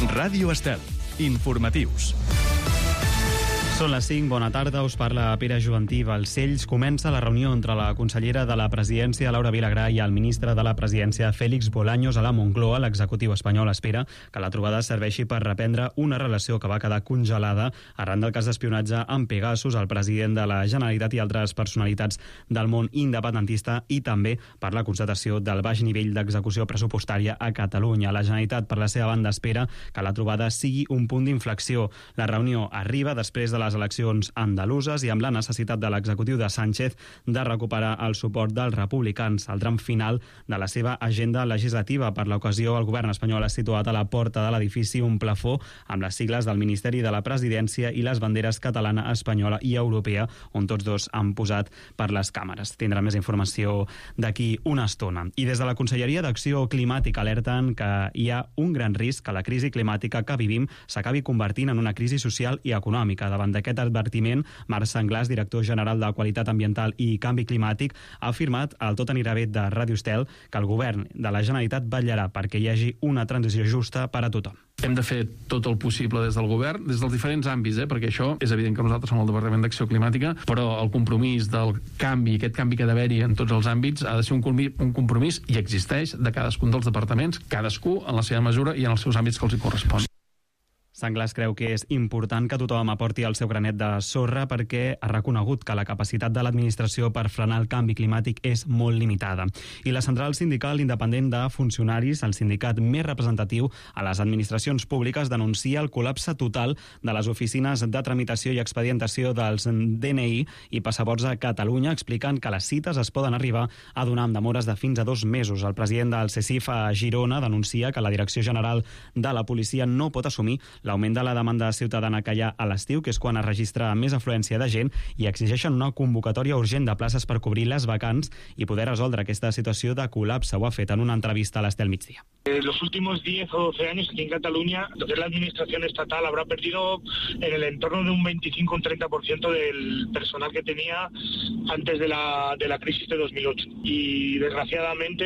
Ràdio Estel. Informatius. Són les 5, bona tarda, us parla Pere Juventí Balcells. Comença la reunió entre la consellera de la Presidència, Laura Vilagrà, i el ministre de la Presidència, Félix Bolaños, a la Moncloa. L'executiu espanyol espera que la trobada serveixi per reprendre una relació que va quedar congelada arran del cas d'espionatge amb Pegasus, el president de la Generalitat i altres personalitats del món independentista, i també per la constatació del baix nivell d'execució pressupostària a Catalunya. La Generalitat, per la seva banda, espera que la trobada sigui un punt d'inflexió. La reunió arriba després de les eleccions andaluses i amb la necessitat de l'executiu de Sánchez de recuperar el suport dels republicans. Al tram final de la seva agenda legislativa, per l'ocasió, el govern espanyol ha situat a la porta de l'edifici un plafó amb les sigles del Ministeri de la Presidència i les banderes catalana, espanyola i europea, on tots dos han posat per les càmeres. Tindrà més informació d'aquí una estona. I des de la Conselleria d'Acció Climàtica alerten que hi ha un gran risc que la crisi climàtica que vivim s'acabi convertint en una crisi social i econòmica. Davant d'aquest advertiment, Marc Senglàs, director general de Qualitat Ambiental i Canvi Climàtic, ha afirmat al Tot anirà bé de Ràdio Estel que el govern de la Generalitat vetllarà perquè hi hagi una transició justa per a tothom. Hem de fer tot el possible des del govern, des dels diferents àmbits, perquè això és evident que nosaltres som el Departament d'Acció Climàtica, però el compromís del canvi, aquest canvi que ha d'haver-hi en tots els àmbits, ha de ser un compromís, i existeix, de cadascun dels departaments, cadascú en la seva mesura i en els seus àmbits que els hi correspon. Senglàs creu que és important que tothom aporti el seu granet de sorra perquè ha reconegut que la capacitat de l'administració per frenar el canvi climàtic és molt limitada. I la Central Sindical Independent de Funcionaris, el sindicat més representatiu a les administracions públiques, denuncia el col·lapse total de les oficines de tramitació i expedientació dels DNI i passaports a Catalunya, explicant que les cites es poden arribar a donar amb demores de fins a 2 mesos. El president del CECIF a Girona denuncia que la Direcció General de la Policia no pot assumir l'augment de la demanda ciutadana que hi ha a l'estiu, que és quan es registra més afluència de gent, i exigeixen una convocatòria urgent de places per cobrir les vacants i poder resoldre aquesta situació de col·lapse. Ho ha fet en una entrevista a l'Estel Migdia. En los últimos 10 o 12 años aquí en Cataluña, lo que es la administración estatal habrá perdido en el entorno de un 25 o un 30% del personal que tenía antes de la crisis de 2008. Y desgraciadamente,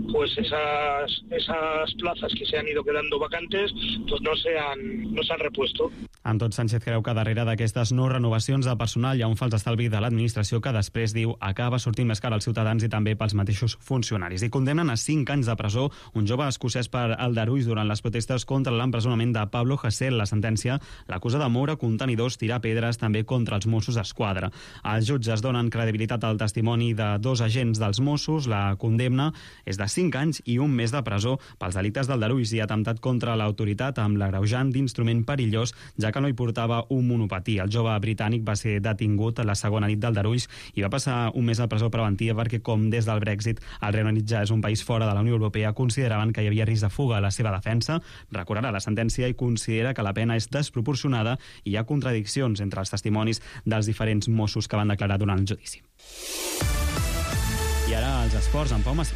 pues esas plazas que se han ido quedando vacantes, pues no se han repuesto. En tot, Sánchez creu que darrere d'aquestes no renovacions de personal hi ha un fals estalvi de l'administració que després, diu, acaba sortint més car als ciutadans i també pels mateixos funcionaris. I condemnen a 5 anys de presó un jove escocès per aldarulls durant les protestes contra l'empresonament de Pablo Hasél. La sentència l'acusa de moure contenidors, tirar pedres també contra els Mossos d'Esquadra. Els jutges donen credibilitat al testimoni de 2 agents dels Mossos. La condemna és de 5 anys i 1 mes de presó pels delictes d'aldarulls i atemptat contra l'autoritat amb l'agreujant d'instrument perillós, ja que no hi portava un monopatí. El jove britànic va ser detingut a la segona nit d'aldarulls i va passar 1 mes a presó preventiva perquè, com des del Brexit el Regne Unit ja és un país fora de la Unió Europea, consideraven que hi havia risc de fuga. A la seva defensa recorrerà la sentència i considera que la pena és desproporcionada i hi ha contradiccions entre els testimonis dels diferents Mossos que van declarar durant el judici. I ara els esports amb Pau Massí.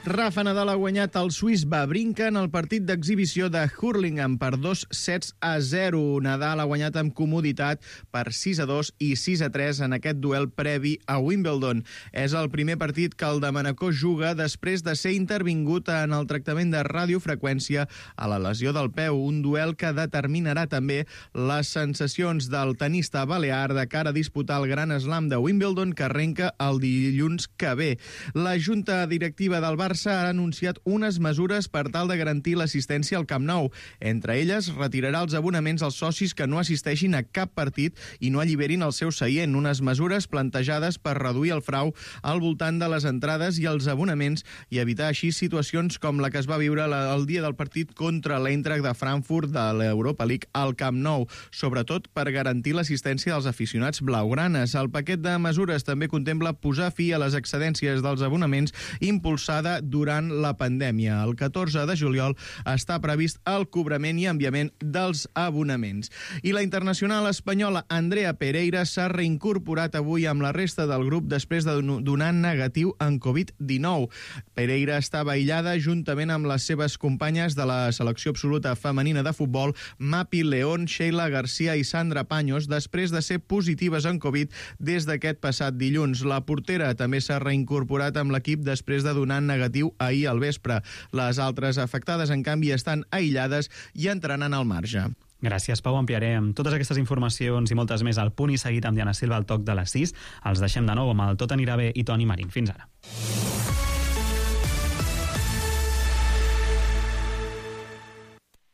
Rafa Nadal ha guanyat el suís Wawrinka en el partit d'exhibició de Hurlingham per 2-0. Nadal ha guanyat amb comoditat per 6-2 i 6-3 en aquest duel previ a Wimbledon. És el primer partit que el de Manacor juga després de ser intervingut en el tractament de radiofreqüència a la lesió del peu, un duel que determinarà també les sensacions del tenista balear de cara a disputar el Gran Slam de Wimbledon que arrenca el dilluns que ve. La Junta Directiva del Barça ha anunciat unes mesures per tal de garantir l'assistència al Camp Nou. Entre elles, retirarà els abonaments als socis que no assisteixin a cap partit i no alliberin el seu seient, unes mesures plantejades per reduir el frau al voltant de les entrades i els abonaments i evitar així situacions com la que es va viure el dia del partit contra l'Eintracht de Frankfurt de l'Europa League al Camp Nou, sobretot per garantir l'assistència dels aficionats blaugranes. El paquet de mesures també contempla posar fi a les excedències dels abonaments impulsada durant la pandèmia. El 14 de juliol està previst el cobrament i enviament dels abonaments. I la internacional espanyola Andrea Pereira s'ha reincorporat avui amb la resta del grup després de donar negatiu en Covid-19. Pereira estava aïllada juntament amb les seves companyes de la selecció absoluta femenina de futbol, Mapi León, Sheila García i Sandra Paños, després de ser positives en Covid des d'aquest passat dilluns. La portera també s'ha reincorporat amb l'equip després de donar negatiu operatiu ahir al vespre. Les altres afectades, en canvi, estan aïllades i entraran al marge. Gràcies, Pau. Ampliarem totes aquestes informacions i moltes més al Punt i Seguit amb Diana Silva al toc de les 6. Els deixem de nou amb el Tot anirà bé i Toni Marín. Fins ara.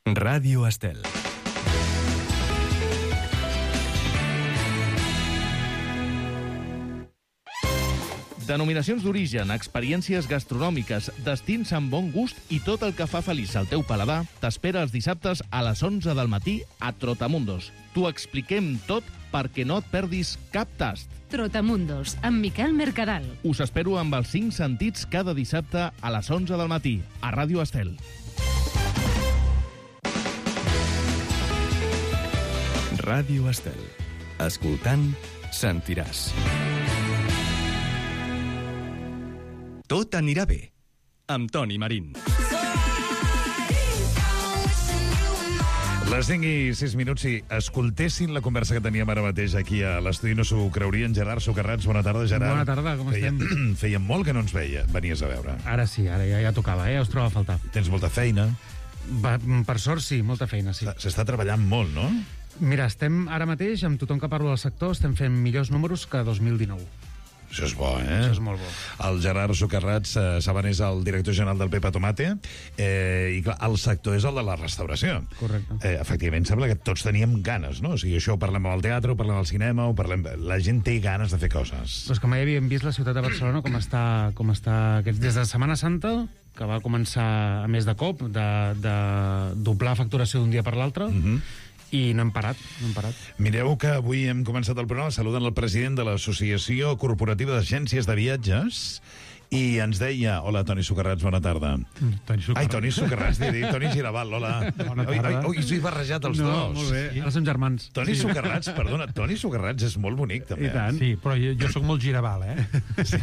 Ràdio Estel. Denominacions d'origen, experiències gastronòmiques, destins amb bon gust i tot el que fa feliç el teu paladar t'espera els dissabtes a les 11 del matí a Trotamundos. T'ho expliquem tot perquè no et perdis cap tast. Trotamundos, amb Miquel Mercadal. Us espero amb els 5 sentits cada dissabte a les 11 del matí a Ràdio Estel. Ràdio Estel. Escoltant, sentiràs. Tot anirà bé, amb Toni Marín. Les 5 i 6 minuts, si escoltessin la conversa que teníem ara mateix aquí a l'estudi, no s'ho creurien. Gerard Socarrats, bona tarda, Gerard. Bona tarda, com estem? Feia molt que no ens venies a veure. Ara sí, ara ja tocava, us trobo a faltar. Tens molta feina. Per sort sí, molta feina, sí. S'està treballant molt, no? Mira, estem ara mateix, amb tothom que parlo del sector, estem fent millors números que 2019. Això és bo, eh? Això és molt bo. El Gerard Socarrats, saben, és el director general del Pepa Tomate, i clar, el sector és el de la restauració. Correcte. Efectivament, sembla que tots teníem ganes, no? O sigui, això ho parlem al teatre, ho parlem al cinema, la gent té ganes de fer coses. Doncs com ja havíem vist la ciutat de Barcelona, com està des de Setmana Santa, que va començar a més de cop, de doblar facturació d'un dia per l'altre, i no hem parat. Mireu que avui hem començat el programa saludant el president de l'Associació Corporativa d'Agències de Viatges i ens deia... Hola, Toni Socarrats, bona tarda. Toni Socarrats, Toni Giraval, hola. Bona tarda. Oi, us he barrejat els dos. No, molt bé, ara som germans. Toni Socarrats, perdona, Toni Socarrats és molt bonic, també. I tant. Sí, però jo sóc molt giraval, Sí.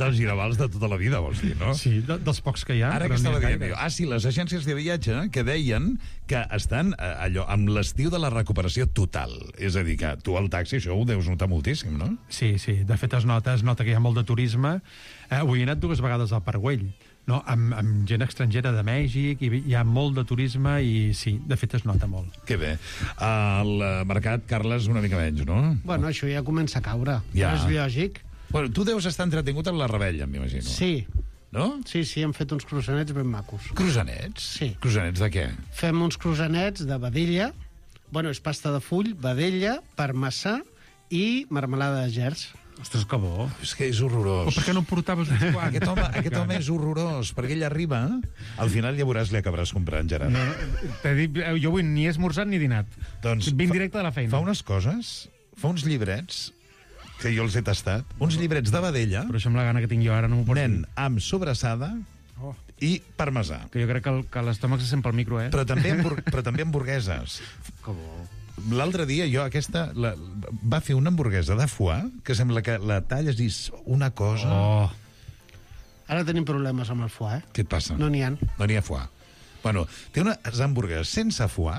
Dels giravals de tota la vida, vols dir, no? Sí, dels pocs que hi ha. Ara que estava dient jo. Sí, les agències de viatge que deien que estan allò amb l'estiu de la recuperació total. És a dir, que tu al taxi això ho deus notar moltíssim, no? Sí, de fet es nota que hi ha molt de turisme. Avui he anat 2 vegades al Parc Güell, no? amb gent estrangera de Mèxic, i hi ha molt de turisme i sí, de fet es nota molt. Que bé. El mercat, Carles, una mica menys, no? Bueno, això ja comença a caure, ja. És lògic. Bueno, tu deus estar entretingut en la rebella, m'imagino. Sí. No? Sí, hem fet uns croissanets ben macos. Croissanets? Sí. Croissanets de què? Fem uns croissanets de vedella, bueno, és pasta de full, vedella, parmesà i marmelada de gerds. Ostres, que bo. És que és horrorós. Per què no em portaves uns quants? Aquest home és horrorós, perquè ell arriba, al final ja veuràs, li acabaràs comprant, Gerard. No, t'he dit, jo avui ni he esmorzat ni dinat. Doncs vinc directe de la feina. Fa unes coses, fa uns llibrets, que jo els he tastat, uns llibrets de vedella... Però això amb la gana que tinc jo ara no m'ho pots dir. Nen, amb sobrassada i parmesà. Que jo crec que l'estómac se sent pel micro, eh? Però també hamburgueses. Que bo. L'altre dia jo va fer una hamburguesa de foie que sembla que la talles i una cosa... Ara tenim problemes amb el foie, Què et passa? No n'hi ha. No n'hi ha foie. Bueno, té unes hamburgueses sense foie.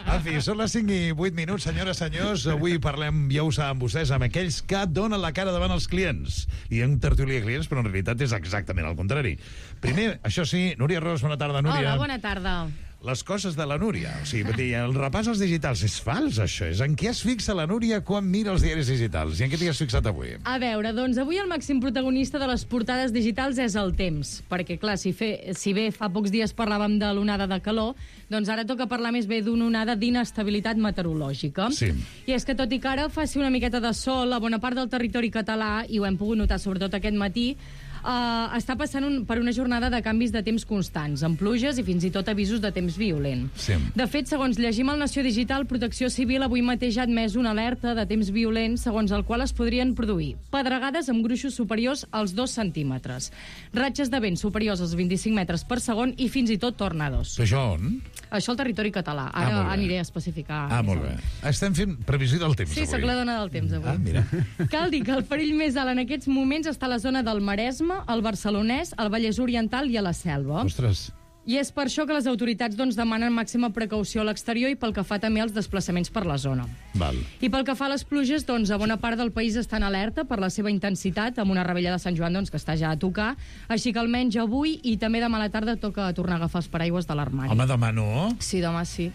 En fi, són les 5 i 8 minuts, senyores, senyors. Avui parlem, ja ho saben vostès, amb aquells que donen la cara davant els clients. I hi ha un tertuli de clients, però en realitat és exactament el contrari. Primer, això sí, Núria Ros, bona tarda, Núria. Hola, bona tarda. Les coses de la Núria. O sigui, el repàs als digitals és fals, això. És en què es fixa la Núria quan mira els diaris digitals? I en què t'hi has fixat avui? A veure, doncs avui el màxim protagonista de les portades digitals és el temps. Perquè, clar, si bé fa pocs dies parlàvem de l'onada de calor, doncs ara toca parlar més bé d'una onada d'inestabilitat meteorològica. Sí. I és que tot i que ara faci una miqueta de sol a bona part del territori català, i ho hem pogut notar sobretot aquest matí, està passant per una jornada de canvis de temps constants, amb pluges i fins i tot avisos de temps violent. Sí. De fet, segons llegim al Nació Digital, Protecció Civil avui mateix ha admès una alerta de temps violent segons el qual es podrien produir pedregades amb gruixos superiors als 2 centímetres, ratxes de vent superiors als 25 metres per segon i fins i tot tornados. Això on? Això al territori català. Ara aniré a especificar. Molt bé. Estem fent previsió del temps, sí, avui. sóc la dona del temps, avui. Mira. Cal dir que el perill més alt en aquests moments està a la zona del Maresme, el Barcelonès, el Vallès Oriental i a la Selva. Ostres. I és per això que les autoritats demanen màxima precaució a l'exterior i pel que fa també als desplaçaments per la zona. Val. I pel que fa a les pluges, a bona part del país està en alerta per la seva intensitat, amb una rebella de Sant Joan que està ja a tocar, així que almenys avui i també demà a la tarda toca tornar a agafar els paraigües de l'armari. Home, demà no? Sí, demà sí.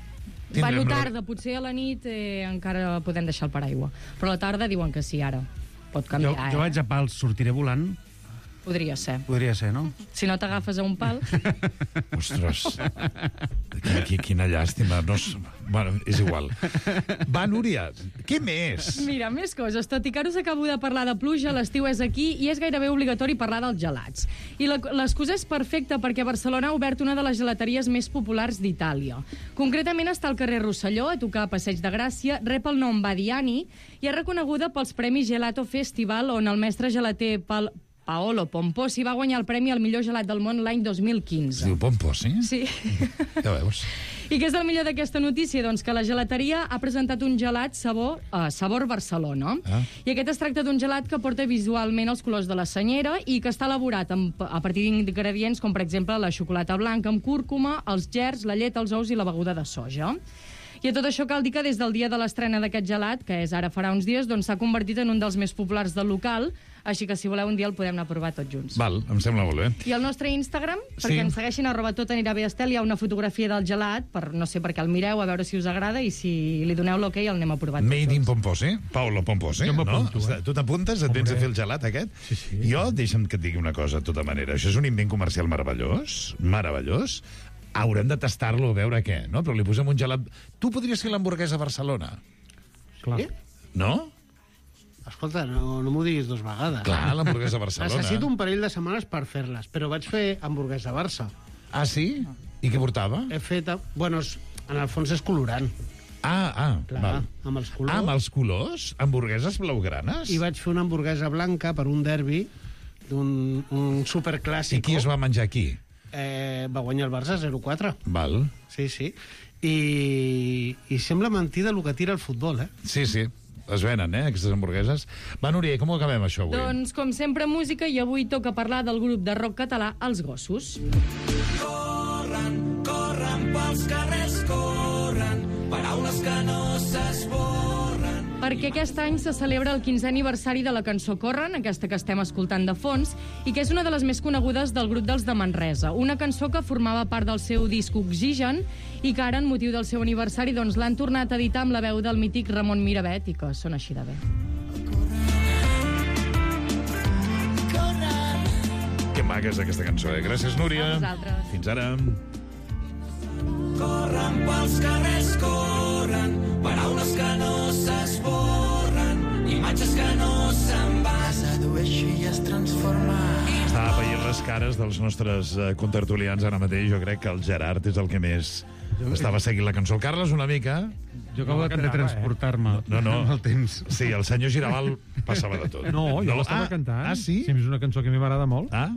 Tindrem Bueno, tarda, potser a la nit encara podem deixar el paraigua. Però a la tarda diuen que sí, ara. Pot canviar, Jo vaig a pals, sortiré volant. Podria ser. Podria ser, no? Si no t'agafes a un pal... Ostres, quina llàstima. No, bueno, és igual. Va, Núria, què més? Mira, més coses. Tot i que ara us acabo de parlar de pluja, l'estiu és aquí i és gairebé obligatori parlar dels gelats. I l'excusa és perfecta perquè Barcelona ha obert una de les gelateries més populars d'Itàlia. Concretament està al carrer Rosselló, a tocar a Passeig de Gràcia, rep el nom Badiani i és reconeguda pels Premis Gelato Festival, on el mestre gelater Paolo Pomposi va guanyar el premi al millor gelat del món l'any 2015. Es diu Pomposi? Sí. Ja veus. I què és el millor d'aquesta notícia? Doncs que la gelateria ha presentat un gelat sabor Barcelona. I aquest es tracta d'un gelat que porta visualment els colors de la senyera i que està elaborat a partir d'ingredients com, per exemple, la xocolata blanca amb cúrcuma, els gerds, la llet, els ous i la beguda de soja. I a tot això cal dir que des del dia de l'estrena d'aquest gelat, que és ara farà uns dies, doncs s'ha convertit en un dels més populars del local, així que si voleu un dia el podem anar a provar tots junts. Val, em sembla molt bé. I al nostre Instagram, perquè ens segueixin @totanirabestel, hi ha una fotografia del gelat, no sé per què el mireu, a veure si us agrada i si li doneu l'ok el anem a provar tots. Made in Pomposi, Paolo Pomposi, Jo m'apunto, no? Tu t'apuntes, et vens a fer el gelat aquest? Sí. Jo, deixa'm que et digui una cosa, de tota manera. Això és un invent comercial meravellós, meravellós. Haurem de tastar-lo, a veure què, no? Però li posem un gelat... Tu podries fer l'hamburguesa a Barcelona? Clar. No? Escolta, no m'ho diguis dues vegades. Clar, l'hamburguesa a Barcelona. Necessito un parell de setmanes per fer-les, però vaig fer hamburguesa a Barça. Ah, sí? I què portava? He fet... Bueno, en el fons és colorant. Clar, val. Amb els colors. Amb els colors? Hamburgueses blaugranes? I vaig fer una hamburguesa blanca per un derbi d'un superclàssico. I qui es va menjar aquí? Va guanyar el Barça 0-4. Val. Sí. I sembla mentida el que tira el futbol, eh? Sí. Es venen, aquestes hamburgueses. Va, Núria, com ho acabem, això, avui? Doncs, com sempre, música, i avui toca parlar del grup de rock català Els Gossos. Corren pels carrers, corren, paraules que no s'esborren. Perquè aquest any se celebra el 15è aniversari de la cançó Corren, aquesta que estem escoltant de fons, i que és una de les més conegudes del grup dels de Manresa. Una cançó que formava part del seu disc Oxigen i que ara, en motiu del seu aniversari, doncs l'han tornat a editar amb la veu del mític Ramon Miravet, i que sona així de bé. Que maca és aquesta cançó, Gràcies, Núria. A vosaltres. Fins ara. Corren pels carrers, corren, paraules que no s'esborren, imatges que no se'n van. Sedueixi i es transforma. Estava veient les cares dels nostres contertulians ara mateix. Jo crec que el Gerard és el que més estava seguint la cançó. El Carles una mica... Jo acabo de transportar-me amb el temps. Sí, el senyor Giraval passava de tot. No, jo l'estava cantant. Ah, sí? Sí, és una cançó que a mi m'agrada molt. Ah,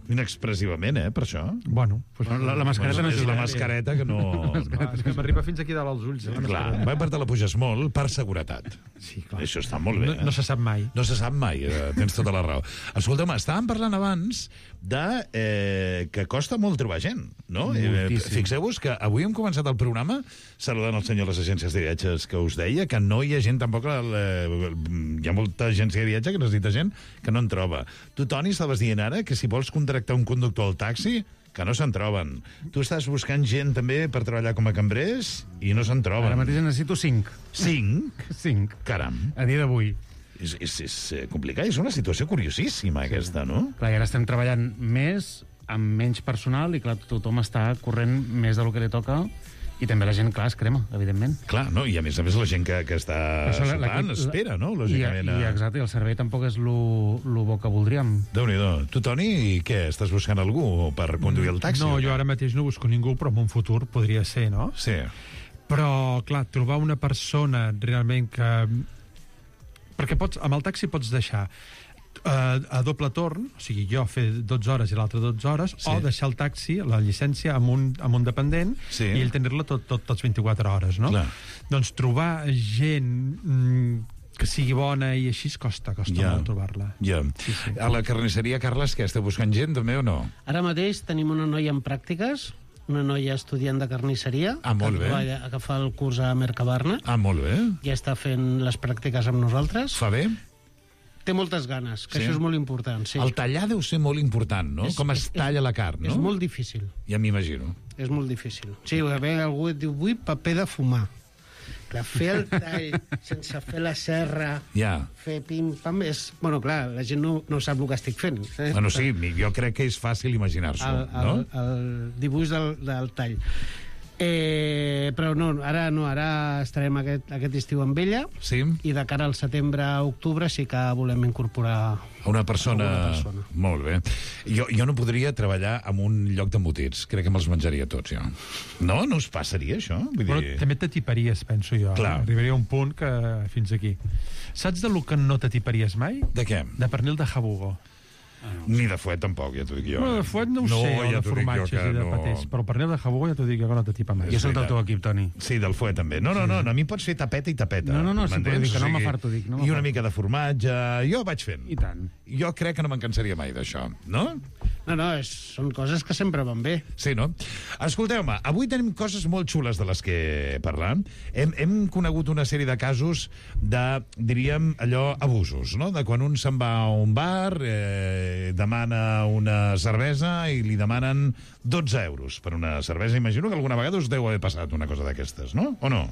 inexpressivament, per això. Bueno, pues la mascareta no és ajuda. la mascareta que no... És que m'arriba fins aquí dalt als ulls. Clar, per te la puges molt per seguretat. Sí, clar. Això està molt bé. No se sap mai. No se sap mai, tens tota la raó. Escolta'm, estàvem parlant abans que costa molt trobar gent, no? Fixeu-vos que avui hem començat el programa saludant el senyor de les agències de viatges que us deia que no hi ha gent tampoc... Hi ha molta agència de viatge que necessita gent que no en troba. Tu, Toni, estaves dient ara que si vols contractar un conductor al taxi, que no se'n troben. Tu estàs buscant gent també per treballar com a cambrers i no se'n troben. Ara mateix necessito 5. 5? 5. Caram. A dia d'avui. És complicat, és una situació curiosíssima, aquesta, no? Clar, i ara estem treballant més, amb menys personal, i clar, tothom està corrent més del que li toca, i també la gent, clar, es crema, evidentment. Clar, no? I a més la gent que està sopant espera, no? Lògicament. Exacte, i el servei tampoc és lo bo que voldríem. Déu-n'hi-do. Tu, Toni, què? Estàs buscant algú per conduir el taxi? No, jo ara mateix no busco ningú, però en un futur podria ser, no? Sí. Però, clar, trobar una persona realment que... Perquè amb el taxi pots deixar a doble torn, o sigui, jo fer 12 hores i l'altre 12 hores, o deixar el taxi, la llicència, amb un dependent, i ell tenir-la tots 24 hores, no? Clar. Doncs trobar gent que sigui bona i així costa molt trobar-la. Ja. A la carnisseria, Carles, què? Esteu buscant gent, també, o no? Ara mateix tenim una noia en pràctiques una noia estudiant de carnisseria. Molt bé. Va agafar el curs a Mercabarna. Molt bé. Ja està fent les pràctiques amb nosaltres. Fa bé? Té moltes ganes, que això és molt important. Sí. El tallar deu ser molt important, no? Com es talla la carn, no? És molt difícil. Ja m'imagino. És molt difícil. Sí, algú et diu, vull paper de fumar. Clar, fer el tall sense fer la serra, fer pim-pam, és... Bueno, clar, la gent no sap el que estic fent. Bueno, sí, jo crec que és fàcil imaginar-s'ho, no? El dibuix del tall. Però no, ara estarem aquest estiu amb ella, i de cara al setembre-octubre sí que volem incorporar una persona. Molt bé. Jo no podria treballar en un lloc d'embotits. Crec que me'ls menjaria tots, jo. No? No us passaria, això? Però també t'atiparies, penso jo. Clar. Arribaria a un punt que fins aquí. Saps de lo que no t'atiparies mai? De què? De pernil de jabugo. Ni de fuet, tampoc, ja t'ho dic jo. No, de fuet no ho sé, o de formatges i de patés, però el pernil de jabugo ja t'ho dic que no t'atipa mai. Jo soc del teu equip, Toni. Sí, del fuet també. No, a mi em pots fer tapeta i tapeta. No, sí, però dic que no m'afarto, dic. I una mica de formatge, jo vaig fent. I tant. Jo crec que no me'n cansaria mai d'això, no? No, són coses que sempre van bé. Sí, no? Escolteu-me, avui tenim coses molt xules de les que parlar. Hem conegut una sèrie de casos de, diríem, allò, abusos, no? De quan un se'n va a un bar, demana una cervesa i li demanen 12 euros per una cervesa. Imagino que alguna vegada us deu haver passat una cosa d'aquestes, no? O no?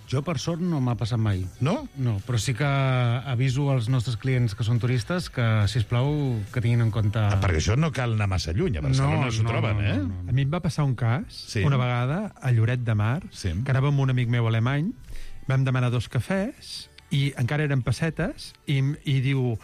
Jo, per sort, no m'ha passat mai. No? No, però sí que aviso als nostres clients que són turistes que, sisplau, que tinguin en compte... Perquè això no cal anar massa lluny, a Barcelona s'ho troben, eh? A mi em va passar un cas, una vegada, a Lloret de Mar, que anàvem amb un amic meu alemany, vam demanar 2 cafès, i encara eren pessetes, i diu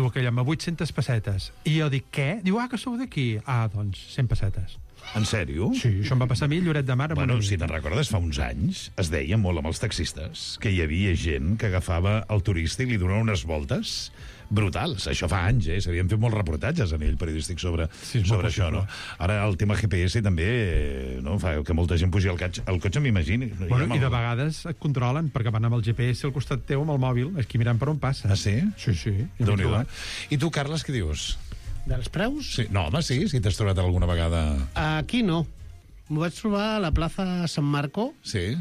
aquell home, 800 pessetes. I jo dic, què? Diu, que sou d'aquí. Doncs, 100 pessetes. En sèrio? Sí, això em va passar a mi, Lloret de Mar. Bueno, si te'n recordes, fa uns anys es deia molt amb els taxistes que hi havia gent que agafava el turista i li donava unes voltes brutals. Això fa anys, s'havien fet molts reportatges a nivell periodístic sobre això, no? Ara el tema GPS també fa que molta gent pugi al cotxe, m'imagini. Bueno, i de vegades et controlen, perquè van amb el GPS al costat teu, amb el mòbil, aquí mirant per on passa. Ah, sí? Sí. Déu-n'hi-do. I tu, Carles, què dius? Dels preus? Sí. No, home, sí, si t'has trobat alguna vegada... Aquí no. M'ho vaig trobar a la plaça San Marco. Sí.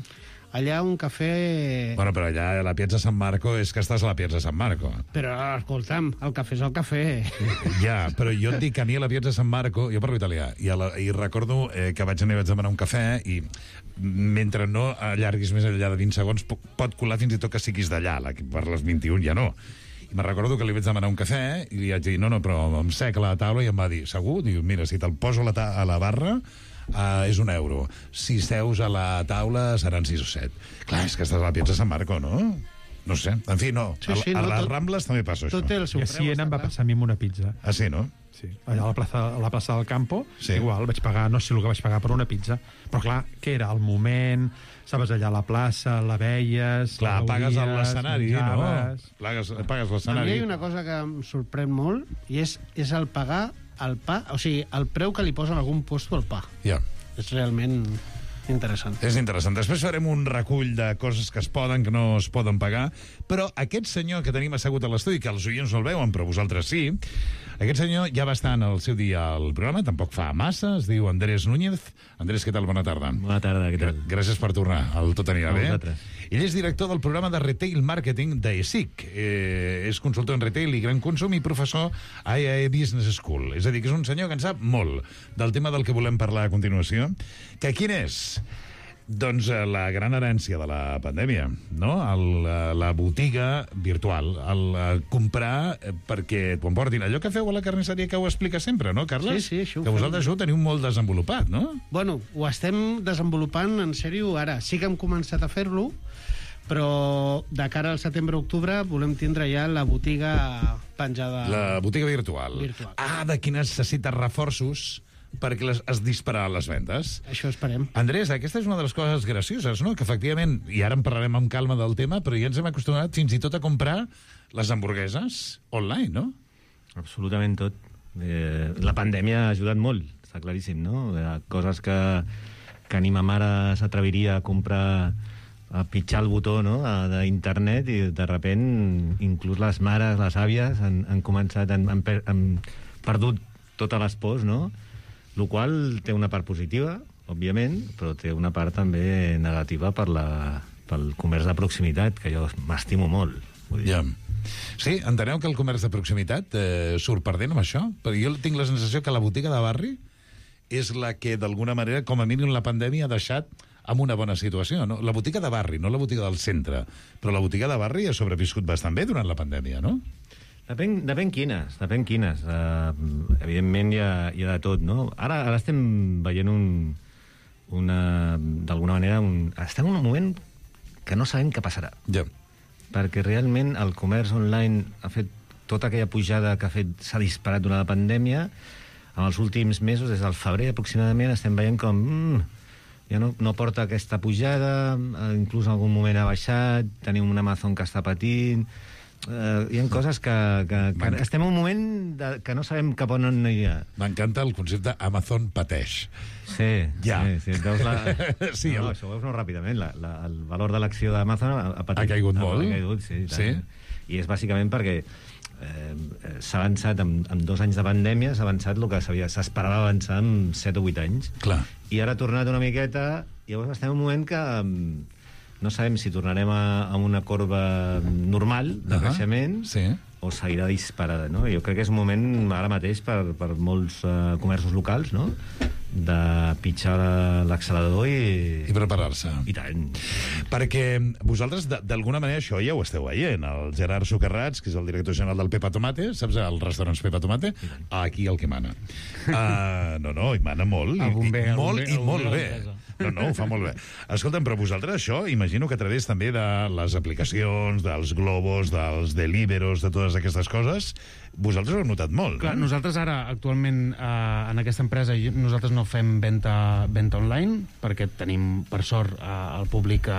Allà un cafè... Bueno, però allà a la Piazza San Marco és que estàs a la Piazza San Marco. Però, escolta'm, el cafè és el cafè. Ja, però jo et dic que a mi a la Piazza San Marco... Jo parlo italià, i recordo que vaig anar i vaig demanar un cafè i mentre no allarguis més enllà de 20 segons pot colar fins i tot que siguis d'allà, per les 21 ja no. I me'n recordo que li vaig demanar un cafè i li vaig dir, no, però em sec a la taula, i em va dir, segur? Diu, mira, si te'l poso a la barra és €1. Si seus a la taula seran 6 o 7. Clar, és que estàs a la Piazza San Marco, no? No sé. En fi, no. A les Rambles també passa això. Tot té el seu preu. I així em va passar a mi amb una pizza. Ah, sí, no? Sí. Allà a la plaça del Campo, igual, vaig pagar, no sé el que vaig pagar per una pizza, però clar, què era? El moment, estaves allà a la plaça, la veies... Clar, pagues l'escenari, no? Pagues l'escenari. A mi hi ha una cosa que em sorprèn molt, i és el pagar el pa, o sigui, el preu que li posen a algun puesto al pa. Ja. És realment interessant. És interessant. Després farem un recull de coses que es poden, que no es poden pagar, però aquest senyor que tenim assegut a l'estudi, que els oients no el veuen, però vosaltres sí, aquest senyor ja va estar en el seu dia al programa, tampoc fa massa, es diu Andrés Núñez. Andrés, què tal? Bona tarda. Bona tarda, què tal? Gràcies per tornar, el Tot anirà bé. Vosaltres. Ell és director del programa de Retail Marketing d'ESIC. És consultor en retail i gran consum i professor a IAE Business School. És a dir, que és un senyor que en sap molt del tema del que volem parlar a continuació. Que quin és? Doncs la gran herència de la pandèmia, no? La botiga virtual, el comprar perquè t'ho emportin. Allò que feu a la carnisseria que ho explica sempre, no, Carles? Sí, això ho que vosaltres això ho teniu molt desenvolupat, no? Bueno, ho estem desenvolupant en sèrio ara. Sí que hem començat a fer-lo, però de cara al setembre-octubre volem tindre ja la botiga penjada... La botiga virtual. D'aquí necessites reforços perquè es dispararan les vendes. Això esperem. Andrés, aquesta és una de les coses gracioses, no? Que efectivament, i ara en parlarem amb calma del tema, però ja ens hem acostumat fins i tot a comprar les hamburgueses online, no? Absolutament tot. La pandèmia ha ajudat molt, està claríssim, no? Coses que ni ma mare s'atreviria a comprar, a pitjar el botó, no?, d'internet, i de repent inclús les mares, les àvies han començat, han perdut totes les pors, no?, el qual té una part positiva, òbviament, però té una part també negativa pel comerç de proximitat, que jo m'estimo molt. Ja. Sí, enteneu que el comerç de proximitat surt perdent amb això? Perquè jo tinc la sensació que la botiga de barri és la que, d'alguna manera, com a mínim la pandèmia ha deixat amb una bona situació. No? La botiga de barri, no la botiga del centre, però la botiga de barri ha sobreviscut bastant bé durant la pandèmia, no? Depèn quines. Evidentment hi ha de tot, no? Ara estem veient d'alguna manera, estem en un moment que no sabem què passarà. Ja. Perquè realment el comerç online ha fet tota aquella pujada que s'ha disparat durant la pandèmia. En els últims mesos, des del febrer aproximadament, estem veient com ja no porta aquesta pujada, inclús en algun moment ha baixat, tenim un Amazon que està patint. Hi ha coses que estem en un moment que no sabem cap on anirà. M'encanta el concepte Amazon pateix. Sí, ja. Sí, sí, això ho veus molt ràpidament. El valor de l'acció d'Amazon ha caigut molt. Ha caigut, sí. I és bàsicament perquè s'ha avançat en 2 anys de pandèmia, s'ha avançat el que s'esperava avançar en 7 o 8 anys. Clar. I ara ha tornat una miqueta, i llavors estem en un moment que no sabem si tornarem a una corba normal de creixement o seguirà disparada, no? Jo crec que és un moment ara mateix per molts comerços locals, no?, de pitjar l'accelerador i preparar-se. I tant. Perquè vosaltres, d'alguna manera, això ja ho esteu veient. El Gerard Socarrats, que és el director general del Pepa Tomate, saps, els restaurants Pepa Tomate? Aquí el que mana. No, hi mana molt. Molt bé. No, ho fa molt bé. Escolta'm, però vosaltres això, imagino que a través també de les aplicacions, dels globos, dels deliveros, de totes aquestes coses, vosaltres ho heu notat molt. Clar, nosaltres ara, actualment, en aquesta empresa, nosaltres no fem venda online, perquè tenim, per sort, el públic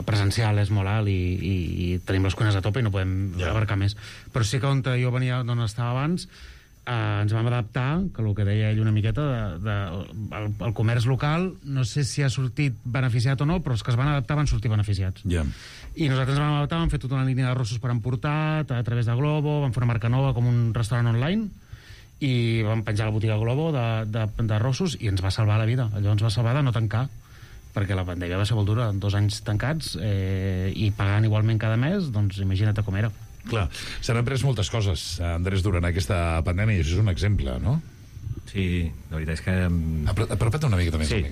presencial és molt alt i tenim les cuines a tope i no podem abarcar més. Però sí que on jo venia, d'on estava abans, ens vam adaptar, que el que deia ell una miqueta, el comerç local, no sé si ha sortit beneficiat o no, però els que es van adaptar van sortir beneficiats. I nosaltres ens vam adaptar, vam fer tota una línia d'arrossos per emportar, a través de Globo, vam fer una marca nova com un restaurant online, i vam penjar la botiga Globo d'arrossos i ens va salvar la vida. Allò ens va salvar de no tancar, perquè la pandèmia va ser molt dura, 2 anys tancats, i pagant igualment cada mes, doncs imagina't com era. Clar, s'han après moltes coses, Andrés, durant aquesta pandèmia, i això és un exemple, no? Sí, la veritat és que... Apropa't una miqueta més. Sí.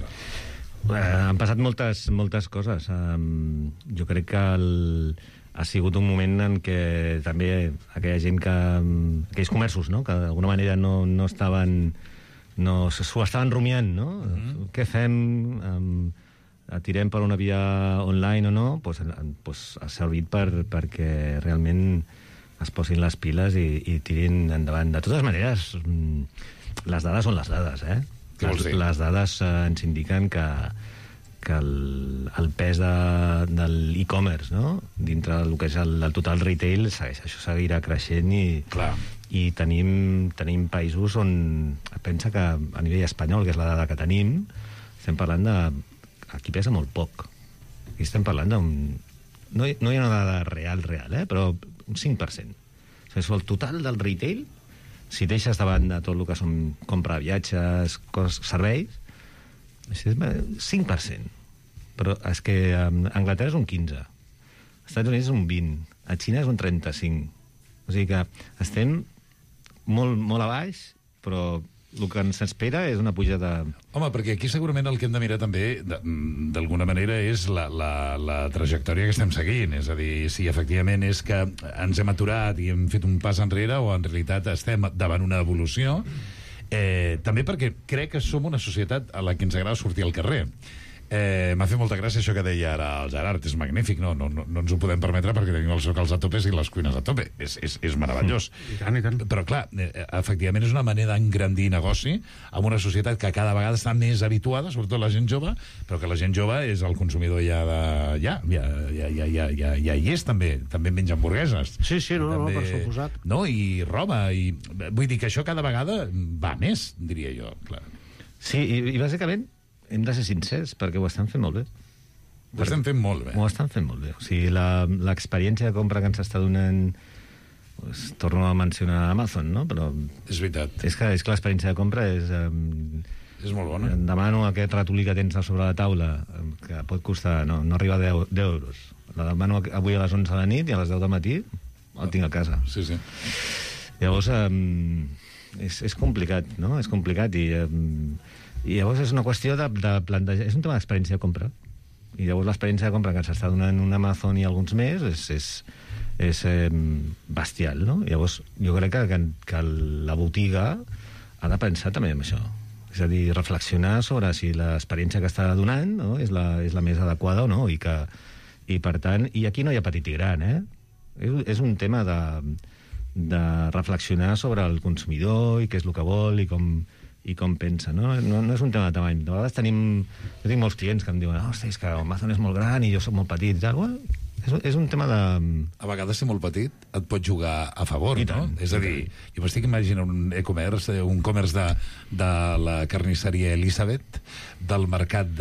Han passat moltes coses. Jo crec que ha sigut un moment en què també aquella gent aquells comerços, no?, que d'alguna manera no estaven... s'ho estaven rumiant, no? Què fem? Tirem per una via online o no, ha servit perquè realment es posin les piles i tirin endavant. De totes maneres, les dades són les dades, eh? Les dades ens indiquen que el pes de l'e-commerce, no?, dintre del que és el total retail, això seguirà creixent i tenim països on pensa que a nivell espanyol, que és la dada que tenim, estem parlant de... Aquí pesa molt poc. Aquí estem parlant d'un... No hi ha una dada real, però un 5%. O sigui, el total del retail, si deixes de banda tot el que són compra de viatges, serveis, és 5%. Però és que a Anglaterra és un 15%. Als Estats Units és un 20%. A Xina és un 35%. O sigui que estem molt, molt a baix, però el que ens espera és una pujada... Home, perquè aquí segurament el que hem de mirar també, d'alguna manera, és la trajectòria que estem seguint. És a dir, si efectivament és que ens hem aturat i hem fet un pas enrere o en realitat estem davant una evolució, també perquè crec que som una societat a la que ens agrada sortir al carrer. M'ha fet molta gràcia això que deia ara el Gerard, és magnífic, no ens ho podem permetre perquè tenim els locals a tope i les cuines a tope, és meravellós. I tant. Però clar, efectivament és una manera d'engrandir negoci amb una societat que cada vegada està més habituada, sobretot la gent jove, però que la gent jove és el consumidor ja hi és també menja hamburgueses. Sí, per suposat. No, i roba, i vull dir que això cada vegada va més, diria jo, clar. Sí, i bàsicament hem de ser sincers, perquè ho estan fent molt bé. Ho estan fent molt bé. Ho estan fent molt bé. O sigui, l'experiència de compra que ens està donant... Torno a mencionar Amazon, no? Però... És veritat. És que l'experiència de compra és És molt bona. Em demano aquest ratolí que tens a sobre la taula, que pot costar, no arriba a 10 euros. La demano avui a les 11 de la nit i a les 10 del matí el tinc a casa. Sí. Llavors, és complicat, no? És complicat i llavors és una qüestió de plantejar... És un tema d'experiència de compra. I llavors l'experiència de compra que s'està donant un Amazon i alguns més és bestial, no? Llavors, jo crec que la botiga ha de pensar també en això. És a dir, reflexionar sobre si l'experiència que està donant, no, és la més adequada o no, i per tant, i aquí no hi ha petit i gran, és un tema de reflexionar sobre el consumidor i què és el que vol i com pensa, no? No és un tema de tamany. De vegades jo tinc molts clients que em diuen és que Amazon és molt gran i jo soc molt petit i tal. Bueno, és un tema de... A vegades, ser molt petit et pot jugar a favor, no? És a dir, jo m'estic imaginant un e-commerce, un commerce de la carnisseria Elisabet, del mercat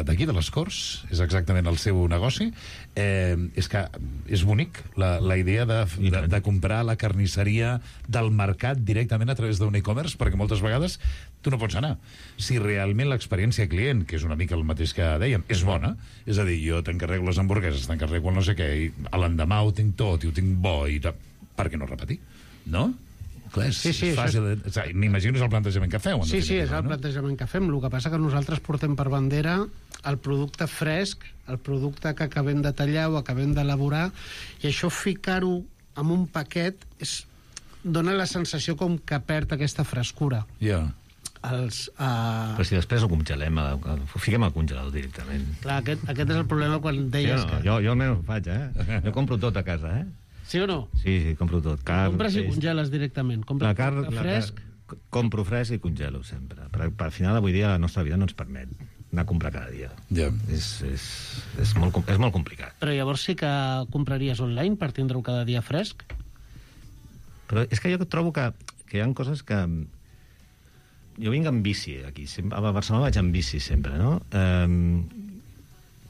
d'aquí, de les Corts, és exactament el seu negoci. És que és bonic la idea de comprar la carnisseria del mercat directament a través d'un e-commerce, perquè moltes vegades tu no pots anar. Si realment l'experiència client, que és una mica el mateix que dèiem, és bona, és a dir, jo t'encarrego les hamburgueses, t'encarrego el no sé què, i a l'endemà ho tinc tot i ho tinc bo, i per què no repetir? No? Clar, és fàcil. M'imagino és el plantejament que feu. Sí, és el plantejament que fem. El que passa que nosaltres portem per bandera el producte fresc, el producte que acabem de tallar o acabem d'elaborar, i això ficar-ho en un paquet dona la sensació com que perd aquesta frescura. Però si després ho congelem, ho fiquem al congelador directament. Clar, aquest és el problema quan deies que... Jo almenys ho faig, Jo compro tot a casa, Sí o no? Sí, compro tot. Compres i congeles directament. Compres fresc? Compro fresc i congelo sempre. Però al final, avui dia, la nostra vida no ens permet anar a comprar cada dia. És molt complicat. Però llavors sí que compraries online per tindre-ho cada dia fresc? Però és que jo trobo que hi ha coses que... Jo vinc amb bici aquí. A Barcelona vaig amb bici sempre, no?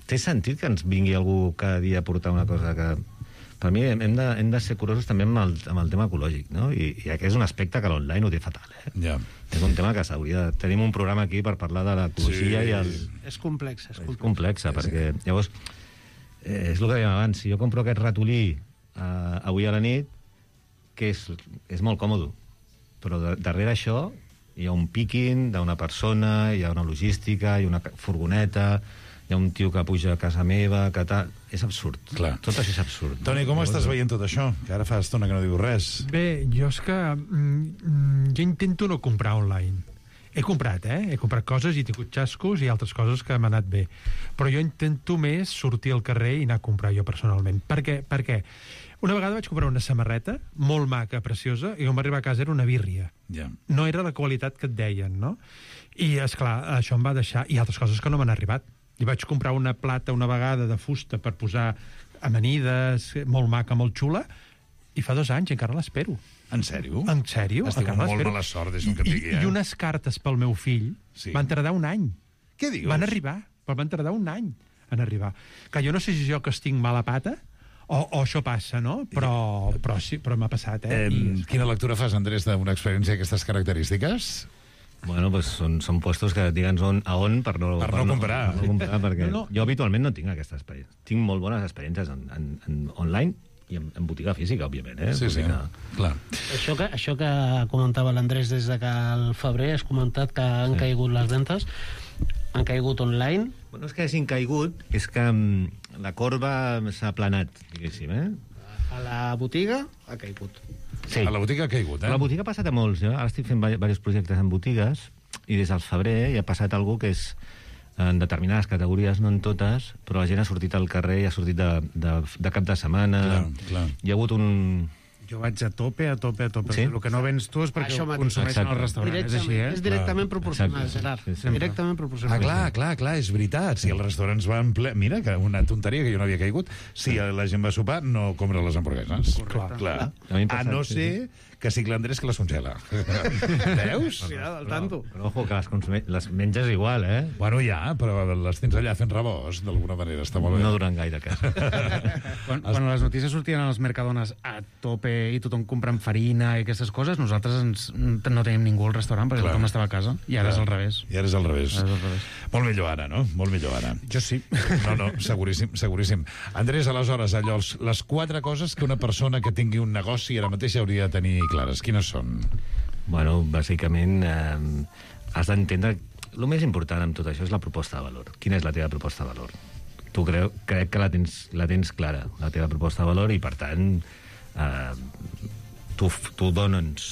Té sentit que ens vingui algú cada dia a portar una cosa que... Per mi hem de ser curosos també amb el tema ecològic, no? I aquest és un aspecte que l'online ho té fatal, És un tema que s'hauria de... Tenim un programa aquí per parlar de l'ecologia i el... És complex. És complexa, perquè llavors... És el que dèiem abans, si jo compro aquest ratolí avui a la nit, que és molt còmode, però darrere això hi ha un picking d'una persona, hi ha una logística, hi ha una furgoneta, hi ha un tio que puja a casa meva, que tal... És absurd. Clar. Tot això és absurd. Toni, com estàs veient tot això? Que ara fa estona que no diu res. Bé, jo és que... jo intento no comprar online. He comprat, He comprat coses i he tingut xascos i altres coses que m'han anat bé. Però jo intento més sortir al carrer i anar a comprar jo personalment. Per què? Perquè una vegada vaig comprar una samarreta molt maca, preciosa, i quan va arribar a casa era una birria. No era la qualitat que et deien, no? I, esclar, això em va deixar... I altres coses que no m'han arribat. I vaig comprar una plata una vegada de fusta per posar amanides, molt maca, molt xula, i fa 2 anys encara l'espero. En sèrio? En sèrio? Estic amb molt mala sort, deixa'm que et digui, I unes cartes pel meu fill van tardar 1 any. Què dius? Van arribar, però van tardar 1 any en arribar. Que jo no sé si jo que estic mala pata o això passa, no? Però m'ha passat, Quina lectura fas, Andrés, d'una experiència d'aquestes característiques? Bueno, pues són puestos que digue'ns on per no comprar. Perquè jo habitualment no tinc aquesta experiència. Tinc molt bones experiències en online i en botiga física, òbviament. Sí, clar. Això que comentava l'Andrés des de que al febrer has comentat que han caigut les ventes, han caigut online. Bueno, és que hagin caigut, és que la corba s'ha aplanat, diguéssim, A la botiga ha caigut. Sí. A la botiga ha caigut, La botiga ha passat a molts. Ara estic fent diversos projectes en botigues i des del febrer hi ha passat algú que és en determinades categories, no en totes, però la gent ha sortit al carrer i ha sortit de cap de setmana. Clar. Hi ha hagut un... Jo vaig a tope. Sí? El que no vens tu és perquè ho consumeixen al restaurant. És així, És directament proporcional, Gerard. Directament proporcional. Clar, és veritat. Si els restaurants van ple... Mira, que una tonteria que jo no havia caigut. Si la gent va sopar, no compra les hamburgueses. Clar. A no ser que sigui l'Andrés que les congela. Veus? Cuidado, al tanto. Però ojo, que les menges igual, eh? Bueno, ja, però les tens allà fent rebost, d'alguna manera, està molt bé. No duren gaire, que. Quan les notícies sortien a les Mercadones a tope i tothom comprant farina i aquestes coses, nosaltres no tenim ningú al restaurant perquè tothom estava a casa. I ara és al revés. I ara és al revés. Molt millor ara, no? Molt millor ara. Jo sí. No, seguríssim, seguríssim. Andrés, aleshores, allò, les 4 coses que una persona que tingui un negoci ara mateix hauria de tenir clares. Quines són? Bueno, bàsicament, has d'entendre... El més important amb tot això és la proposta de valor. Quina és la teva proposta de valor? Tu crec que la tens clara, la teva proposta de valor, i per tant tu dones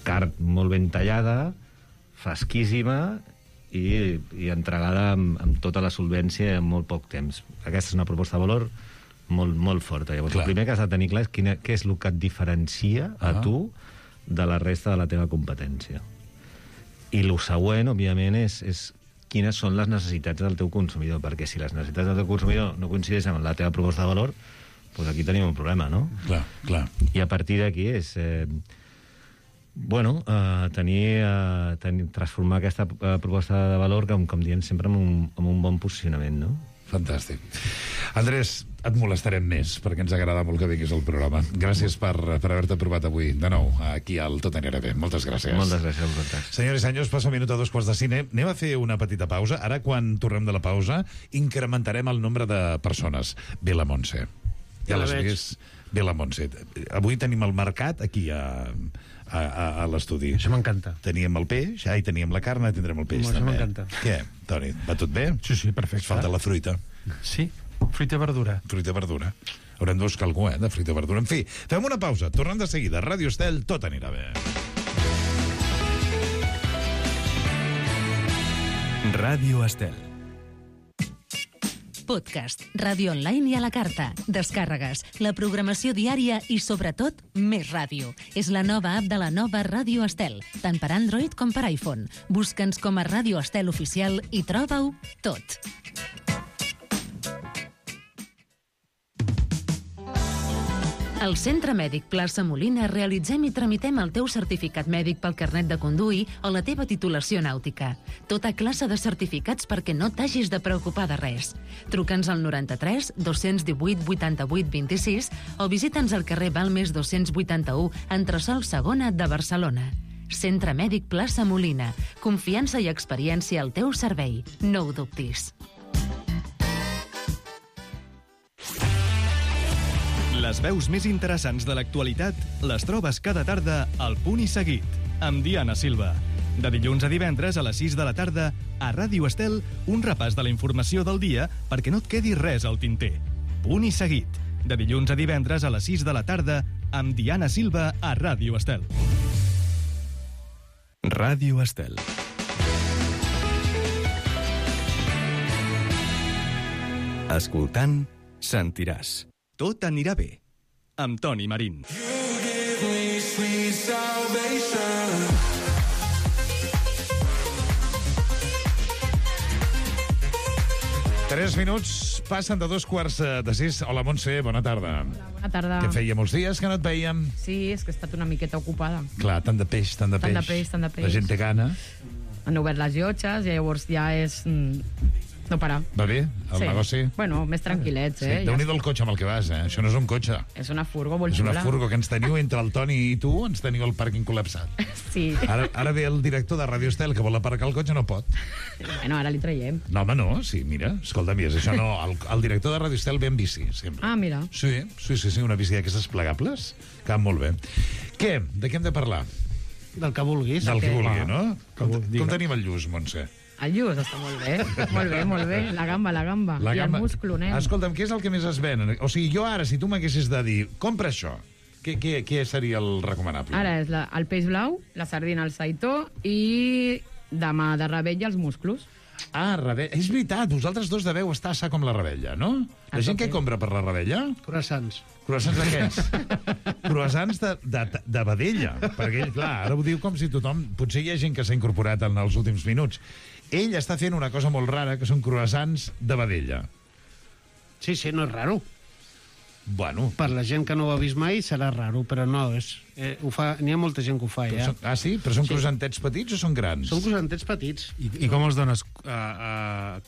carn molt ben tallada, fresquíssima i entregada amb tota la solvència en molt poc temps. Aquesta és una proposta de valor molt, molt forta. Llavors, el primer que has de tenir clar és què és el que et diferencia a tu de la resta de la teva competència. I el següent, òbviament, és quines són les necessitats del teu consumidor, perquè si les necessitats del teu consumidor no coincideixen amb la teva proposta de valor, doncs aquí tenim un problema, no? Clar. I a partir d'aquí és... transformar aquesta proposta de valor, com diem sempre, amb un bon posicionament, no? Fantàstic. Andrés, et molestarem més, perquè ens agrada molt que vinguis al programa. Gràcies per haver-te provat avui, de nou, aquí al Tot anirà bé. Moltes gràcies. Moltes gràcies a vosaltres. Senyors i senyors, passa un minut a 2:45. Anem a fer una petita pausa. Ara, quan tornem de la pausa, incrementarem el nombre de persones. Ve la Montse. Ja les veus. Ve la Montse. Avui tenim el mercat aquí a l'estudi. Això m'encanta. Teníem el peix, i teníem la carn, tindrem el peix Això també. m'encanta. Què, Toni, va tot bé? Sí, perfecte. Falta la fruita. Sí, fruita i verdura. Fruita i verdura. Haurem de buscar algú, de fruita i verdura. En fi, fem una pausa. Tornem de seguida. Ràdio Estel, tot anirà bé. Ràdio Estel. Podcast, ràdio online i a la carta, descàrregues, la programació diària i, sobretot, més ràdio. És la nova app de la nova Ràdio Estel, tant per Android com per iPhone. Busca'ns com a Ràdio Estel Oficial i troba-ho tot. Al Centre Mèdic Plaça Molina realitzem i tramitem el teu certificat mèdic pel carnet de conduir o la teva titulació nàutica. Tota classe de certificats perquè no t'hagis de preocupar de res. Truca'ns al 93 218 88 26 o visita'ns al carrer Balmes 281, entresòl Segona de Barcelona. Centre Mèdic Plaça Molina. Confiança i experiència al teu servei. No ho dubtis. Les veus més interessants de l'actualitat les trobes cada tarda al Punt i Seguit, amb Diana Silva. De dilluns a divendres a les 6 de la tarda, a Ràdio Estel, un repàs de la informació del dia perquè no et quedi res al tinter. Punt i Seguit. De dilluns a divendres a les 6 de la tarda, amb Diana Silva a Ràdio Estel. Ràdio Estel. Escoltant, sentiràs. Tot anirà bé, amb Toni Marín. 3 minuts passen de 5:45. Hola, Montse, bona tarda. Bona tarda. Que feia molts dies que no et veiem. Sí, és que he estat una miqueta ocupada. Clar, tant de peix. Tant de peix. La gent té gana. Han obert les llotges i llavors ja és... no parar. Va bé, el negoci? Bueno, més tranquil·lets, Sí, Déu-n'hi-do el cotxe amb el que vas, Això no és un cotxe. És una furgo molt És xula. una furgo que ens teniu entre el Toni i tu, ens teniu el pàrquing col·lapsat. Sí. Ara ve el director de Ràdio Estel que vol aparcar el cotxe, no pot. Bueno, ara li traiem. No, home, no, sí, mira, escolta'm, és això no, el director de Ràdio Estel ve en bici, sempre. Ah, mira. Sí, una bici d'aquestes plegables, que van molt bé. Què? De què hem de parlar? Del que vulguis. Del que vulgui, no? Com Digue'm. tenim el lluç, Montse? El lluç està molt bé. Molt bé. La gamba. I el musclo, nen. Escolta'm, què és el que més es ven? O sigui, jo ara, si tu m'haguessis de dir, compra això, què seria el recomanable? Ara és el peix blau, la sardina al saitó i demà de rebella els musclos. Ah, rebella. És veritat, vosaltres dos deveu estar assar com la rebella, no? La gent que compra per la rebella? Croissants. Croissants d'aquests? Croissants de vedella. Perquè ell, clar, ara ho diu com si tothom... Potser hi ha gent que s'ha incorporat en els últims minuts. Ell està fent una cosa molt rara, que són croissants de vedella. Sí, no és raro. Bueno. Per la gent que no ho ha vist mai serà raro, però no, n'hi ha molta gent que ho fa, ja. Sí? Però són croissantets petits o són grans? Són croissantets petits. I com els dones?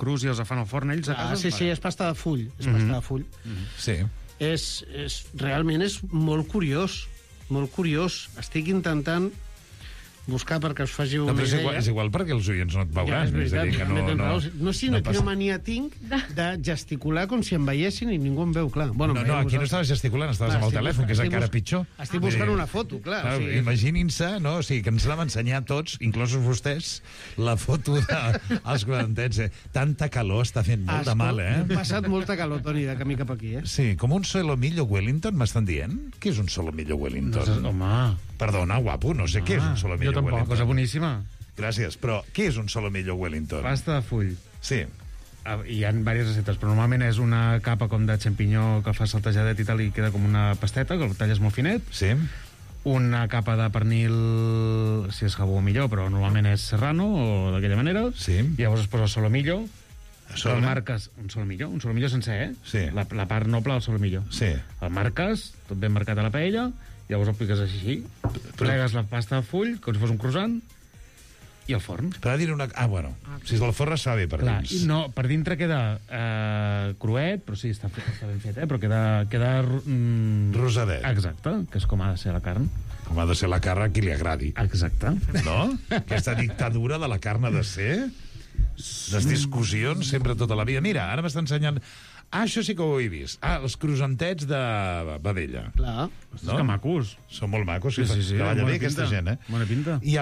Crus i els fan al forn ells a casa? Sí, és pasta de full. És pasta de full. Sí. Realment és molt curiós. Molt curiós. Estic intentant buscar perquè us faci una idea. És igual perquè els oients no et veuran. Ja, és veritat. No sé quina mania tinc de gesticular com si em veiessin i ningú em veu, clar. No, aquí no estaves gesticulant, estaves amb el telèfon, que és encara pitjor. Estic buscant una foto, clar. Imaginin-se, no? O sigui, que ens l'hem ensenyat tots, inclosos vostès, la foto dels croissantets. Tanta calor està fent molt de mal, eh? Hem passat molta calor, Toni, de camí cap aquí, eh? Sí, com un solomillo Wellington, m'estan dient? Què és un solomillo Wellington? Home... Perdona, guapo, no sé què és un solomillo Wellington. Jo tampoc, cosa boníssima. Gràcies, però què és un solomillo Wellington? Pasta de full. Sí. Hi ha diverses receptes, però normalment és una capa com de xampinyó que fa saltejadet i tal, i queda com una pasteta, que el talles molt finet. Sí. Una capa de pernil, si és jabó millor, però normalment és serrano o d'aquella manera. Sí. I llavors es posa el solomillo. El marques un solomillo sencer, eh? Sí. La part noble del solomillo. Sí. El marques, tot ben marcat a la paella, llavors el piques així, plegues la pasta de full, com si fos un croissant, i al forn. Per dir una... bueno, si és del forn es fa bé per dins. No, per dintre queda cruet, però sí, està ben fet, però queda rosadet. Exacte, que és com ha de ser la carn. Com ha de ser la carn a qui li agradi. Exacte. No? Aquesta dictadura de la carn ha de ser... Les discussions sempre tota la vida. Mira, ara m'està ensenyant... això sí que ho he vist. Els croissantets de vedella. Clar. No? Que macos. Són molt macos. Sí. Treballa bé aquesta gent, eh? Bona pinta. I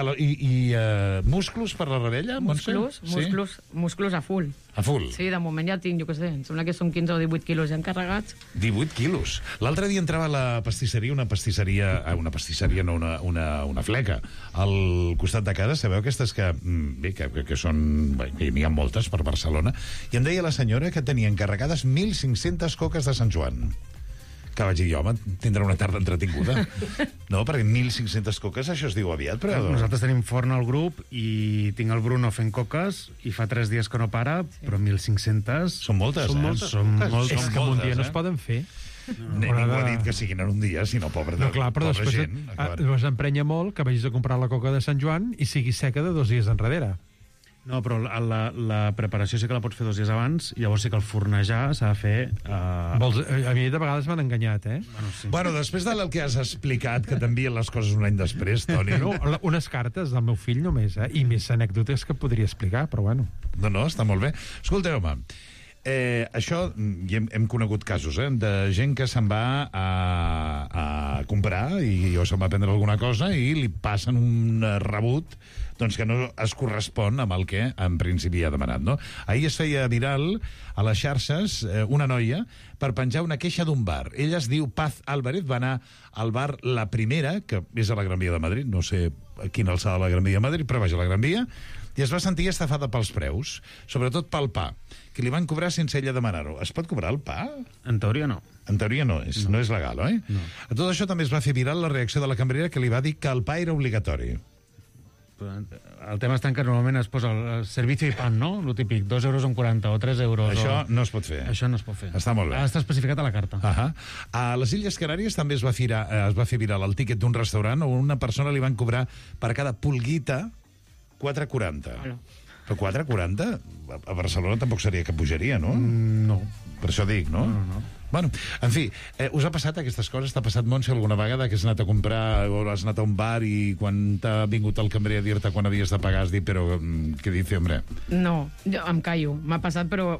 musclos per la rebella? Musclos a full. A full? Sí, de moment ja tinc, jo què sé, em sembla que són 15 o 18 quilos ja encarregats. 18 quilos. L'altre dia entrava a la pastisseria, una fleca, al costat de casa, sabeu aquestes que, bé, que són... N'hi ha moltes per Barcelona, i em deia la senyora que tenia encarregades 1.500 coques de Sant Joan. Que vaig dir, home, tindrà una tarda entretinguda. No, perquè 1.500 coques, això es diu aviat, però... Nosaltres tenim forn al grup i tinc el Bruno fent coques i fa 3 dies que no para, però 1.500... Són moltes, Són moltes. És que en un dia no es poden fer. Ningú ha dit que siguin en un dia, sinó pobra gent. Però després emprenya molt que vagis a comprar la coca de Sant Joan i sigui seca de 2 dies enrere. No, però la preparació sí que la pots fer 2 dies abans, llavors sí que el fornejar s'ha de fer... A mi de vegades m'han enganyat, eh? Bueno, després del que has explicat, que t'envien les coses un any després, Toni... No, unes cartes del meu fill només, i més anècdotes que podria explicar, però bueno. No, està molt bé. Escolteu, home, això, hem conegut casos, de gent que se'n va a comprar o se'n va prendre alguna cosa i li passen un rebut doncs que no es correspon amb el que en principi ha demanat, no? Ahir es feia viral a les xarxes una noia per penjar una queixa d'un bar. Ella es diu Paz Álvarez, va anar al bar La Primera, que és a la Gran Via de Madrid, no sé a quina alçada de la Gran Via de Madrid, però vaja, a la Gran Via, i es va sentir estafada pels preus, sobretot pel pa, que li van cobrar sense ella demanar-ho. Es pot cobrar el pa? En teoria no. En teoria no és legal, oi? No. A tot això també es va fer viral la reacció de la cambrera que li va dir que el pa era obligatori. El tema està que normalment es posa el servicio i pan, no? Lo típic, 2,40 € o 3 euros. Això no es pot fer. Això no es pot fer. Està molt bé. Ha d'estar especificat a la carta. A les Illes Canàries també es va fer viral el tíquet d'un restaurant on una persona li van cobrar per cada pulguita 4,40. Però 4,40 a Barcelona tampoc seria que pujaria, no? No. Per això dic, no? No. Bueno, en fi, us ha passat aquestes coses? T'ha passat, Montse, alguna vegada que has anat a comprar o has anat a un bar i quan t'ha vingut el cambrer a dir-te quan havies de pagar has dit, però què dice, hombre? No, jo em callo. M'ha passat, però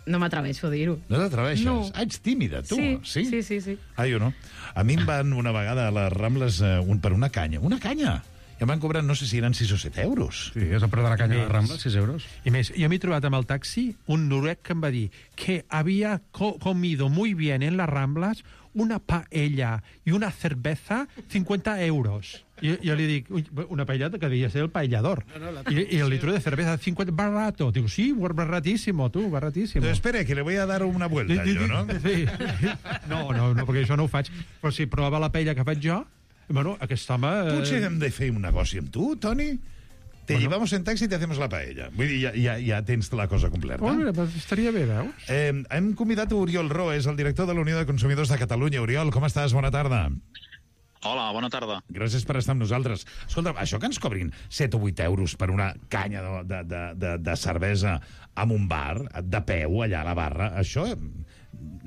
no m'atreveixo a dir-ho. No t'atreveixes? No. Ets tímida, tu? Sí. Jo no. A mi em van una vegada a les Rambles per una canya. Una canya! I em van cobrar, no sé si eren 6 o 7 euros. Sí, és el preu de la canya de la Rambla, 6 euros. I més, jo m'he trobat amb el taxi un noruec que em va dir que havia comido muy bien en las Ramblas una paella y una cerveza 50 euros. Jo li dic, una paella que devia ser el paellador. Y el litro de cerveza 50, barato. Digo, sí, baratísimo, tú, baratísimo. Pero espera, que le voy a dar una vuelta, jo, no? Sí. No, perquè això no ho faig. Però si prova la paella que faig jo, bueno, aquest home... Potser hem de fer un negoci amb tu, Toni? Te llevamos en taxi y te hacemos la paella. Vull dir, ja tens la cosa completa. Oh, mira, estaria bé, veus? Hem convidat a Oriol Roes, el director de la Unió de Consumidors de Catalunya. Oriol, com estàs? Bona tarda. Hola, bona tarda. Gràcies per estar amb nosaltres. Escolta, això que ens cobrin 7 o 8 euros per una canya de cervesa en un bar, de peu, allà a la barra, això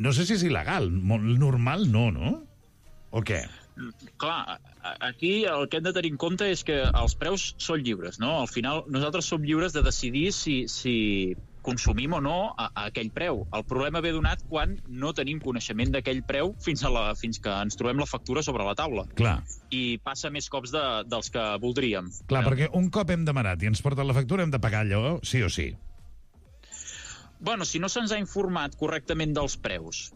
no sé si és il·legal. Molt normal no? O què? Clar, aquí el que hem de tenir en compte és que els preus són lliures, no? Al final, nosaltres som lliures de decidir si consumim o no a aquell preu. El problema ve donat quan no tenim coneixement d'aquell preu fins que ens trobem la factura sobre la taula. Clar. I passa més cops dels que voldríem. Clar, perquè un cop hem demanat i ens porten la factura hem de pagar allò sí o sí. Bueno, si no se'ns ha informat correctament dels preus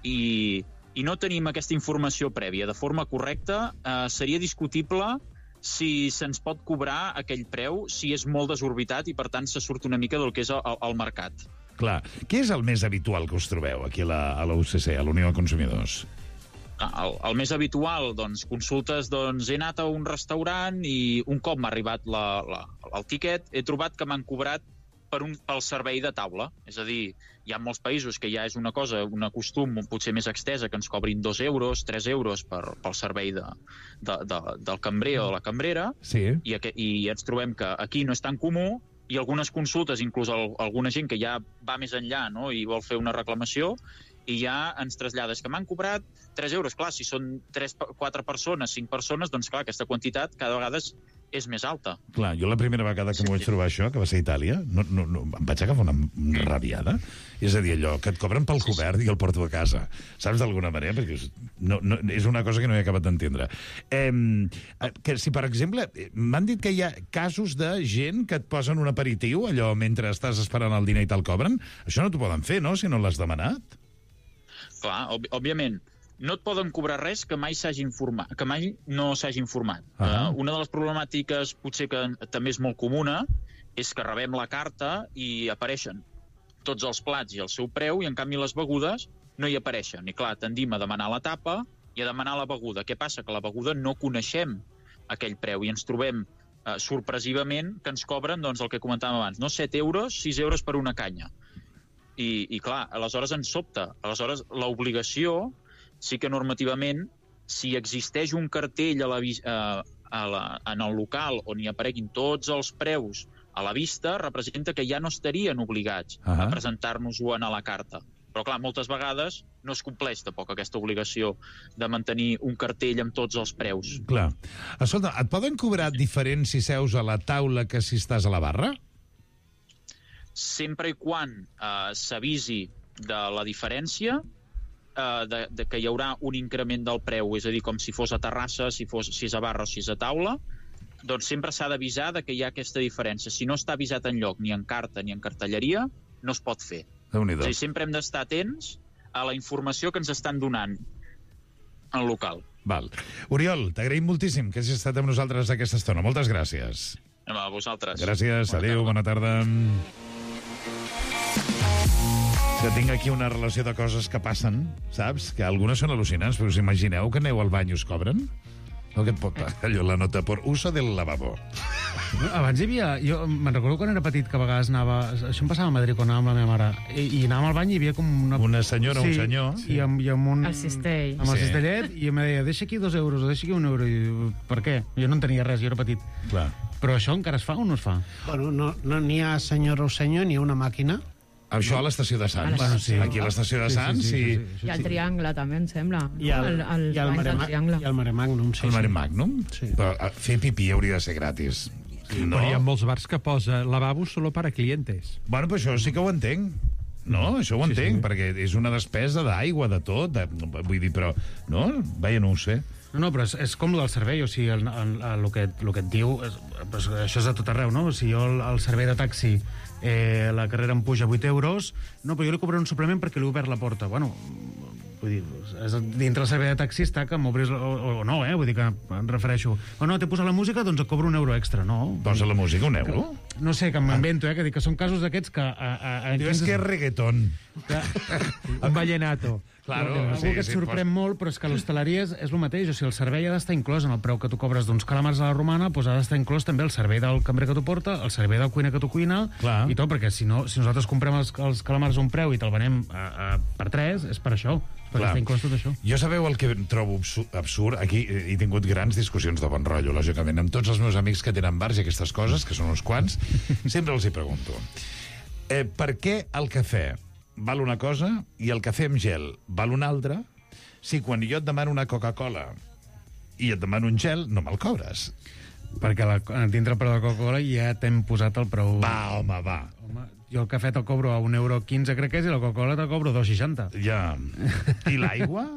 i no tenim aquesta informació prèvia de forma correcta, seria discutible si se'ns pot cobrar aquell preu, si és molt desorbitat i, per tant, se surt una mica del que és el mercat. Clar. Què és el més habitual que us trobeu aquí a la UCC, a la Unió de Consumidors? El més habitual, doncs, consultes, doncs, he anat a un restaurant i un cop m'ha arribat el tiquet, he trobat que m'han cobrat pel servei de taula. És a dir, hi ha molts països que ja és una cosa, un costum potser més extesa, que ens cobrin 2 euros, 3 euros pel servei del cambrer o de la cambrera, sí. I ens trobem que aquí no és tan comú, i algunes consultes, inclús alguna gent que ja va més enllà, no?, i vol fer una reclamació, i ja ens trasllades que m'han cobrat 3 euros. Clar, si són 4 persones, 5 persones, doncs clar, aquesta quantitat cada vegada és més alta. Clar, jo la primera vegada que m'ho vaig trobar això, que va ser a Itàlia, no, em vaig agafar una rabiada. És a dir, allò, que et cobren pel cobert i el porto a casa. Saps, d'alguna manera? Perquè és una cosa que no he acabat d'entendre. Que si, per exemple, m'han dit que hi ha casos de gent que et posen un aperitiu, allò, mentre estàs esperant el dinar i te'l cobren. Això no t'ho poden fer, no?, si no l'has demanat. Clar, òbviament. No et poden cobrar res que mai no s'hagi informat. Una de les problemàtiques, potser que també és molt comuna, és que rebem la carta i apareixen tots els plats i el seu preu, i en canvi les begudes no hi apareixen. I clar, tendim a demanar la tapa i a demanar la beguda. Què passa? Que la beguda no coneixem aquell preu i ens trobem sorpresivament que ens cobren, doncs, el que comentàvem abans, no 7 euros, 6 euros per una canya. I clar, aleshores ens sobta. Aleshores, l'obligació, sí que normativament, si existeix un cartell en el local on hi apareguin tots els preus a la vista, representa que ja no estarien obligats a presentar-nos-ho a la carta. Però, clar, moltes vegades no es compleix tampoc aquesta obligació de mantenir un cartell amb tots els preus. Clar. Escolta, et poden cobrar diferent si seus a la taula que si estàs a la barra? Sempre i quan s'avisi de la diferència, que hi haurà un increment del preu, és a dir, com si fos a terrassa, si és a barra o si és a taula, doncs sempre s'ha d'avisar que hi ha aquesta diferència. Si no està avisat enlloc, ni en carta ni en cartelleria, no es pot fer. És a dir, sempre hem d'estar atents a la informació que ens estan donant al local. Val. Oriol, t'agraïm moltíssim que hagis estat amb nosaltres aquesta estona. Moltes gràcies. A vosaltres. Gràcies, adéu, bona tarda. Que tinc aquí una relació de coses que passen, saps? Que algunes són al·lucinants, però us imagineu que aneu al bany i us cobren? No, que et pot pagar allò, la nota por uso del lavabo. Abans hi havia... Jo me'n recordo quan era petit que a vegades anava... Això em passava a Madrid quan anava amb la meva mare. I anàvem al bany i hi havia com una senyora, un senyor. Sí, i amb un... El cistell. Amb el cistellet, i em deia, deixa aquí 2 euros, o deixa aquí 1 euro. I per què? Jo no entenia res, jo era petit. Clar. Però això encara es fa o no es fa? Bueno, no n'hi ha senyora o senyor, n'hi ha una màquina. Això a l'estació de Sants. Bueno, sí. Aquí a l'estació de Sants. I el Triangle, també, em sembla. I el Mare Magnum. El Mare Magnum? Sí. Però fer pipí hauria de ser gratis. No. Però hi ha molts bars que posa lavabo solo para clientes. Bueno, però això sí que ho entenc. No, això ho entenc, perquè és una despesa d'aigua, de tot. Vull dir, però... No? Vaja, no ho sé. No, però és com el del servei, o sigui, el que et diu... Això és a tot arreu, no? Si jo el servei de taxi... la carrera em puja 8 euros, no, però jo li cobraré un suplement perquè li he obert la porta. Bueno, vull dir, dintre el servei de taxi està que m'obris o no, vull dir que em refereixo. O no, t'he posat la música, doncs et cobro 1 euro extra, no? Posa la música, 1 euro? no sé, que m'invento, que dic que són casos d'aquests que... Diu, és que és reggaeton. Un vallenato. Claro, algú que et sorprèn molt, però és que l'hostaleria és el mateix. O sigui, el servei ha d'estar inclòs en el preu que tu cobres d'uns calamars a la romana, doncs ha d'estar inclòs també el servei del cambrer que t'ho porta, el servei del cuiner que t'ho cuina, i tot, perquè si nosaltres comprem els calamars a un preu i te'l venem per 3, és per això. Perquè està inclòs tot això. Jo sabeu el que trobo absurd? Aquí he tingut grans discussions de bon rotllo, lògicament, amb tots els meus amics que tenen bars i aquestes coses, que són uns quants, sempre els hi pregunto. Per què el cafè val una cosa i el cafè amb gel val una altra, si quan jo et demano una Coca-Cola i et demano un gel, no me'l cobres? Perquè dintre el preu de la Coca-Cola ja t'hem posat el preu... Va, home, va. Jo el cafè te'l cobro a €1,15, crec que és, i la Coca-Cola te'l cobro a €2,60. Ja. I l'aigua?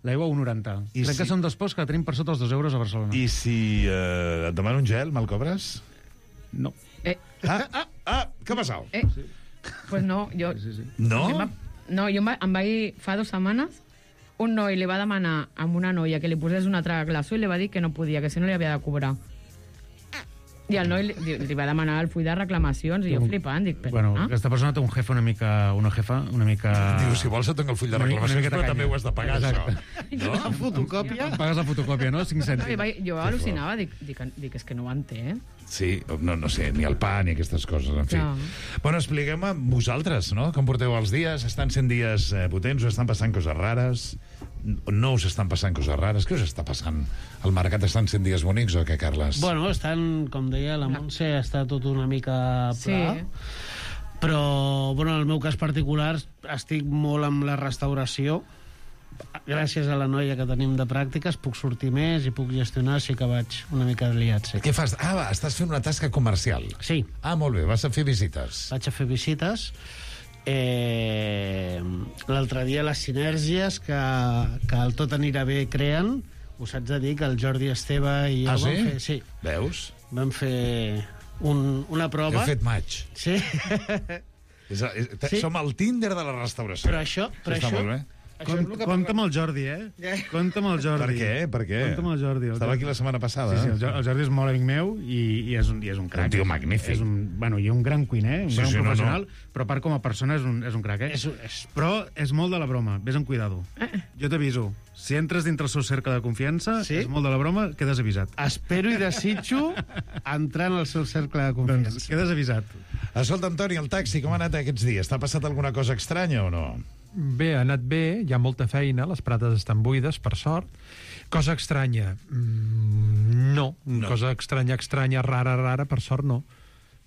L'aigua a €1,90. Crec que són dos posts que tenim per sota els €2 a Barcelona. I si et demano un gel, me'l cobres? No. Què ha passat? Pues no, jo... No? No, jo em vaig... Fa 2 setmanes, un noi li va demanar a una noia que li posés una altra glaçó i li va dir que no podia, que si no li havia de cobrar. I el noi li va demanar el full de reclamacions i jo flipant, dic... Bueno, aquesta persona té un jefe una mica... Diu, si vols et dono el full de reclamacions, però també ho has de pagar, això. No? La fotocòpia? Pagues la fotocòpia, no? 5 cèntims. Jo al·lucinava, dic, és que no ho entenc. Sí, no sé, ni el pa ni aquestes coses, en fi. No. Bueno, expliquem-me vosaltres, no? Com porteu els dies? Estan sent dies potents o estan passant coses rares? No us estan passant coses rares? Què us està passant? Al mercat estan sent dies bonics o què, Carles? Bueno, estan, com deia la Montse, està tot una mica pla. Sí. Però, bueno, en el meu cas particular, estic molt amb la restauració. Gràcies a la noia que tenim de pràctiques puc sortir més i puc gestionar, sí que vaig una mica liat. Sí. Què fas? Estàs fent una tasca comercial. Sí. Molt bé, vas a fer visites. Vaig a fer visites. L'altre dia les sinergies que el Tot anirà bé creen, us haig de dir que el Jordi Esteve i jo vam fer... Sí. Veus? Vam fer una prova. Heu fet maig. Sí. Som al Tinder de la restauració. Però això... Està molt bé. Compte amb el Jordi, Compte amb el Jordi. Per què? Compte amb el Jordi. Estava aquí la setmana passada. Sí, el Jordi és molt amic meu i és un crac. Un tio magnífic. I un gran cuiner, un gran professional, però a part com a persona és un crac, Però és molt de la broma, vés amb cuidado. Jo t'aviso, si entres dintre el seu cercle de confiança, és molt de la broma, quedes avisat. Espero i desitjo entrar en el seu cercle de confiança. Doncs quedes avisat. Escolta, Antoni, el taxi, com ha anat aquests dies? T'ha passat alguna cosa estranya o no? Bé, ha anat bé, hi ha molta feina, les prates estan buides, per sort. Cosa estranya? No. Cosa estranya, rara, per sort no.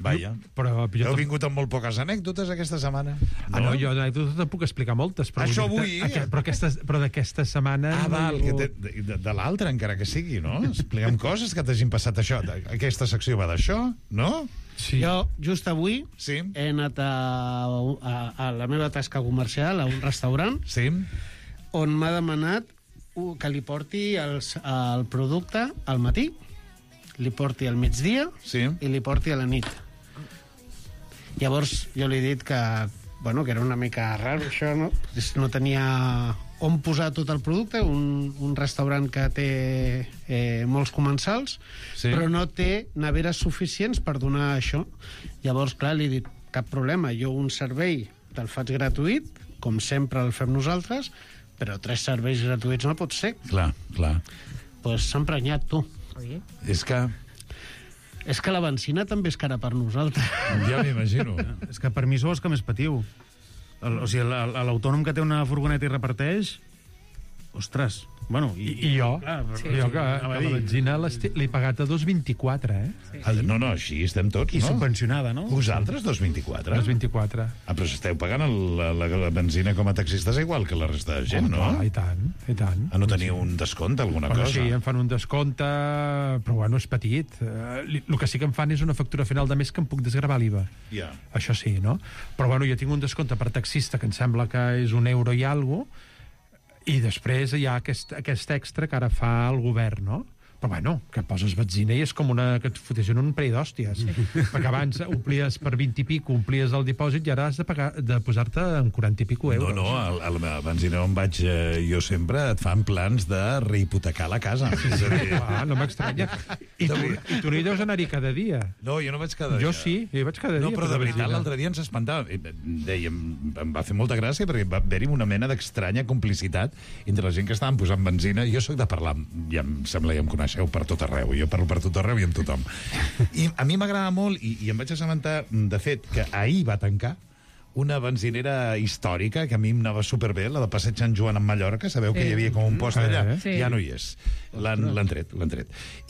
Vaja. Però heu vingut amb molt poques anècdotes aquesta setmana? No, jo d'anècdotes te'n puc explicar moltes. Però això vull. Però d'aquesta setmana... De l'altra, encara que sigui, no? Explica'm coses que t'hagin passat això. Aquesta secció va d'això, no? Sí. Jo, just avui, he anat a la meva tasca comercial, a un restaurant, on m'ha demanat que li porti el producte al matí, li porti al migdia i li porti a la nit. Llavors jo li he dit que era una mica raro això, no? No tenia on posar tot el producte, un restaurant que té molts comensals, però no té neveres suficients per donar això. Llavors, clar, li he dit, cap problema, jo un servei te'l faig gratuït, com sempre el fem nosaltres, però 3 serveis gratuïts no pot ser. Clar. Doncs s'ha emprenyat, tu. És que la benzina també és cara per nosaltres. Ja m'imagino. És que per mi sou els que més patiu. O sigui, l'autònom que té una furgoneta i reparteix... Ostres, bueno... I jo? Jo que la benzina l'he pagat a 2,24, No, així estem tots, no? I subvencionada, no? Vosaltres, 2,24? 2,24. Però esteu pagant la benzina com a taxistes igual que la resta de gent, no? I tant. No teniu un descompte, alguna cosa? Sí, em fan un descompte, però bueno, és petit. El que sí que em fan és una factura final de mes que em puc desgravar l'IVA. Això sí, no? Però bueno, jo tinc un descompte per taxista que em sembla que és €1 i alguna cosa, i després hi ha aquest extra que ara fa el govern, no? Però bueno, que poses benzina i és com que et fotessin un parell d'hòsties. Perquè abans omplies per 20 i pico, omplies el dipòsit i ara has de posar-te en 40 i pico euros. No, a la benzina on vaig jo sempre et fan plans de rehipotecar la casa. És a dir... no m'estranya. I tu no hi deus anar-hi cada dia. No, jo no vaig cada dia. Jo sí, hi vaig cada dia. No, però de veritat, l'altre dia ens espantava. Dèiem, em va fer molta gràcia perquè va haver-hi una mena d'estranya complicitat entre la gent que estaven posant benzina. Jo sóc de parlar, ja em sembla, ja em coneixeu, per tot arreu. Jo parlo per tot arreu i amb tothom. I a mi m'agrada molt, i em vaig assabentar, de fet, que ahir va tancar una benzinera històrica que a mi em anava superbé, la de Passeig Sant Joan en Mallorca. Sabeu que hi havia com un post allà? Sí. Ja no hi és. L'han tret.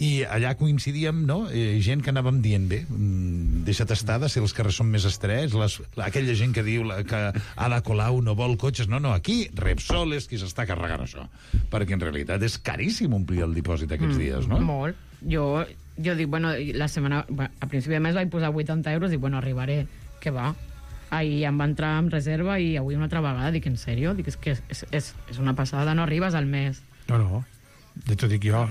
I allà coincidíem, no? Gent que anàvem dient, bé, deixa't estar de ser els carrers són més estrets, aquella gent que diu que Ada Colau no vol cotxes. No, aquí Repsol és qui s'està carregant això. Perquè en realitat és caríssim omplir el dipòsit aquests dies, no? Molt. Jo dic, bueno, a principi de mes vaig posar 80 euros i dic, bueno, arribaré. Què va? Ahir em va entrar en reserva i avui una altra vegada. Dic, en sèrio? Dic, és que és una passada, no arribes al mes. No. Ja t'ho dic jo,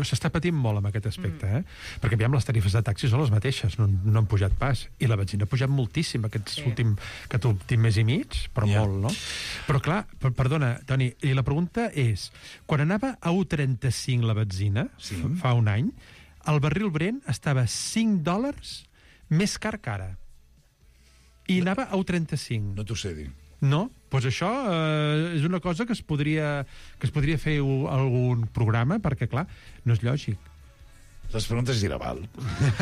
s'està patint molt amb aquest aspecte, perquè aviam, les tarifes de taxi són les mateixes, no han pujat pas, i la benzina ha pujat moltíssim aquest últim mes i mig, però molt, no? Però clar, perdona, Toni, i la pregunta és, quan anava a 1,35 la benzina, fa un any, el barril Brent estava $5 més car que ara. I anava a 1,35. No t'ho sé dir. No? Doncs això és una cosa que es podria fer algun programa, perquè, clar, no és lògic. Les preguntes Giraval.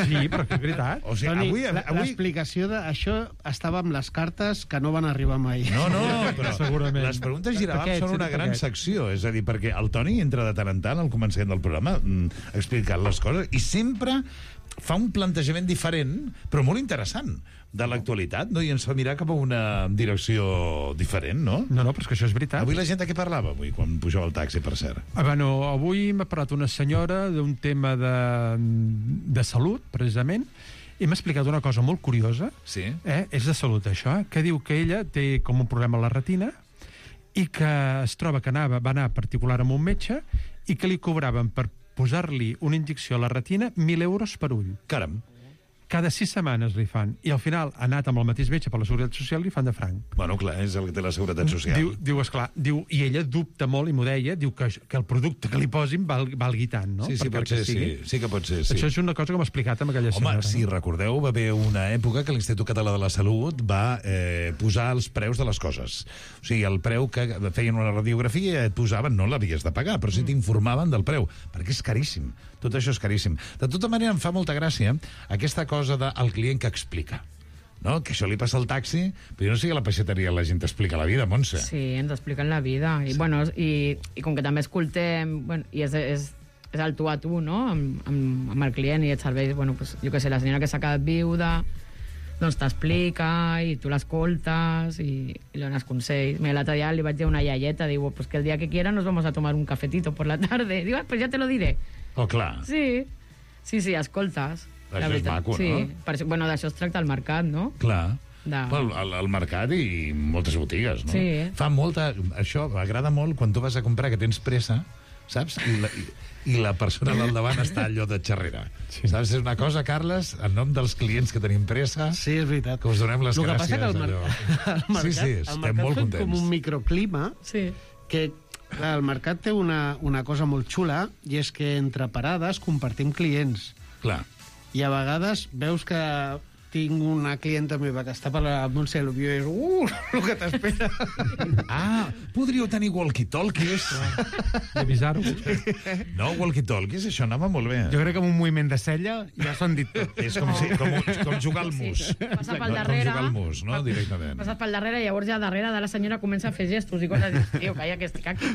Sí, però és veritat. O sigui, avui... L'explicació d'això estava amb les cartes que no van arribar mai. No, però segurament. Les preguntes Giraval són una gran secció. És a dir, perquè el Toni entra de tant en tant al començament del programa explicant les coses i sempre fa un plantejament diferent, però molt interessant, de l'actualitat, no? I ens fa mirar cap a una direcció diferent, no? No, però és que això és veritat. Avui la gent de què parlava, avui, quan pujava el taxi, per cert? Avui m'ha parlat una senyora d'un tema de salut, precisament, i m'ha explicat una cosa molt curiosa. Sí? És de salut, això, que diu que ella té com un problema a la retina i que es troba que va anar particular amb un metge i que li cobraven per posar-li una injecció a la retina 1.000 euros per ull. Caram. Cada 6 setmanes li fan. I al final ha anat amb el mateix metge per la Seguretat Social i li fan de franc. Bueno, clar, és el que té la Seguretat Social. I ella dubta molt, i m'ho deia, diu que el producte que li posin valgui tant, no? Sí, pot ser, sí que pot ser. Sí. Això és una cosa que m'ha explicat amb aquella senyora. Home, si recordeu, va haver una època que l'Institut Català de la Salut va posar els preus de les coses. O sigui, el preu que feien una radiografia et posaven, no l'havies de pagar, però sí t'informaven del preu, perquè és caríssim. Tot això és caríssim. De tota manera, em fa molta gràcia aquesta cosa del client que explica. No? Que això li passa al taxi, però jo no sé que a la peixateria la gent t'explica la vida, Montse. Sí, ens expliquen la vida. I, bueno, i com que també escoltem, i és el tu a tu, no?, amb el client i et serveix, bueno, pues, jo què sé, la senyora que s'ha quedat viuda, doncs t'explica i tu l'escoltes i li dones consells. Mira, l'altre dia li vaig dir a una iaieta, diu, pues que el día que quiera nos vamos a tomar un cafetito por la tarde. Diu, pues ya te lo diré. Oh, clar. Sí, escoltes. Això és maco, sí. No? Bueno, d'això es tracta el mercat, no? Clar. El mercat i moltes botigues, no? Sí. Fa molta... Això m'agrada molt quan tu vas a comprar, que tens pressa, saps? I la persona al davant està allò de xerrera. Sí. Saps? És una cosa, Carles, en nom dels clients que tenim pressa... Sí, és veritat. Que us donem les gràcies. El que passa que el mercat estem molt contents. Com un microclima que... El mercat té una cosa molt xula, i és que entre parades compartim clients. Clar. I a vegades veus que tinc una clienta meva que està per la Montse Lubió i és el que t'espera. Podríeu tenir walkie-talkies. I avisar-ho. No, walkie-talkies, això anava molt bé. Jo crec que amb un moviment de cella ja s'ho han dit tot. És com jugar al mus. Passa pel darrere. Com jugar al mus, no? Directament. Passat pel darrere i llavors ja darrere de la senyora comença a fer gestos i coses. Tio, calla, que estic aquí.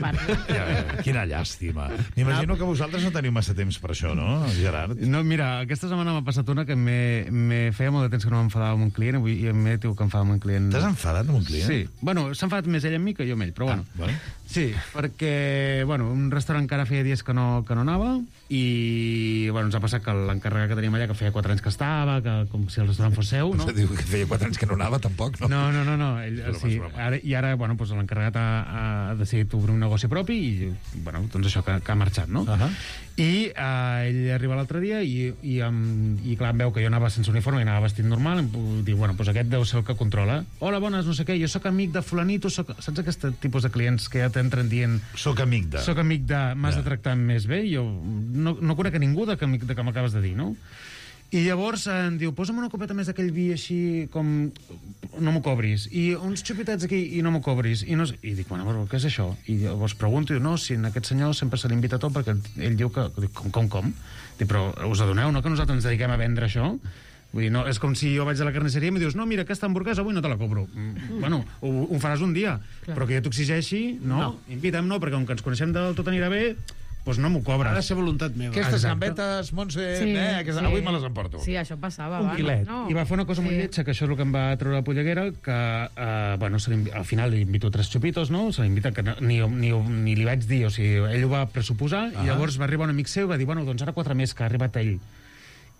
Quina llàstima. M'imagino que vosaltres no teniu massa temps per això, no, Gerard? No, mira, aquesta setmana m'ha passat una que me feia molt de temps que no m'enfadava amb un client, avui em diu que enfadava amb un client. T'has enfadat amb un client? Sí. Bueno, s'ha enfadat més ell amb mi que jo amb ell, però bueno. Bueno. Sí, perquè, bueno, un restaurant que ara feia dies que no anava i bueno, ens ha passat que l'encarregat que teníem allà, que feia 4 anys que estava, que com si el restaurant fos seu, no? Diu que feia 4 anys que no anava, tampoc, no? No. Ell, sí, ara bueno, doncs l'encarregat ha decidit obrir un negoci propi i, bueno, doncs això, que ha marxat, no? I ell arriba l'altre dia i clar, em veu que jo anava sense uniforme i anava vestit normal, em diu, bueno, doncs aquest deu ser el que controla. Hola, bones, no sé què, jo sóc amic de fulanito, saps aquest tipus de clients que ja t'entren dient... Soc amic de... M'has de tractar més bé, jo no conec a ningú de que m'acabes de dir, no? I llavors em diu, posa'm una copeta més d'aquell vi així com... No m'ho cobris. I uns xupitets aquí i no m'ho cobris. I dic, bueno, però què és això? I llavors pregunto, no, si en aquest senyor sempre se l'invita tot perquè ell diu que... Dic, com? Dic, però us adoneu, no?, que nosaltres ens dediquem a vendre això? Vull dir, no, és com si jo vaig a la carnisseria i em dius, no, mira, aquesta hamburguesa avui no te la cobro. Bueno, ho faràs un dia, però que jo t'exigeixi, no. Invita'm, no, perquè com que ens coneixem del tot anirà bé, doncs no m'ho cobres. Ha de ser voluntat meva. Aquestes gambetes, Montse, avui me les emporto. Sí, això passava. Un quilet. No. I va fer una cosa molt lletja, que això és el que em va treure la polleguera, que, bueno, al final li invito 3 xupitos, no? Se l'invita, que ni li vaig dir, o sigui, ell ho va pressuposar, i llavors va arribar un amic seu i va dir, bueno, doncs ara 4 més, que ha arribat ell.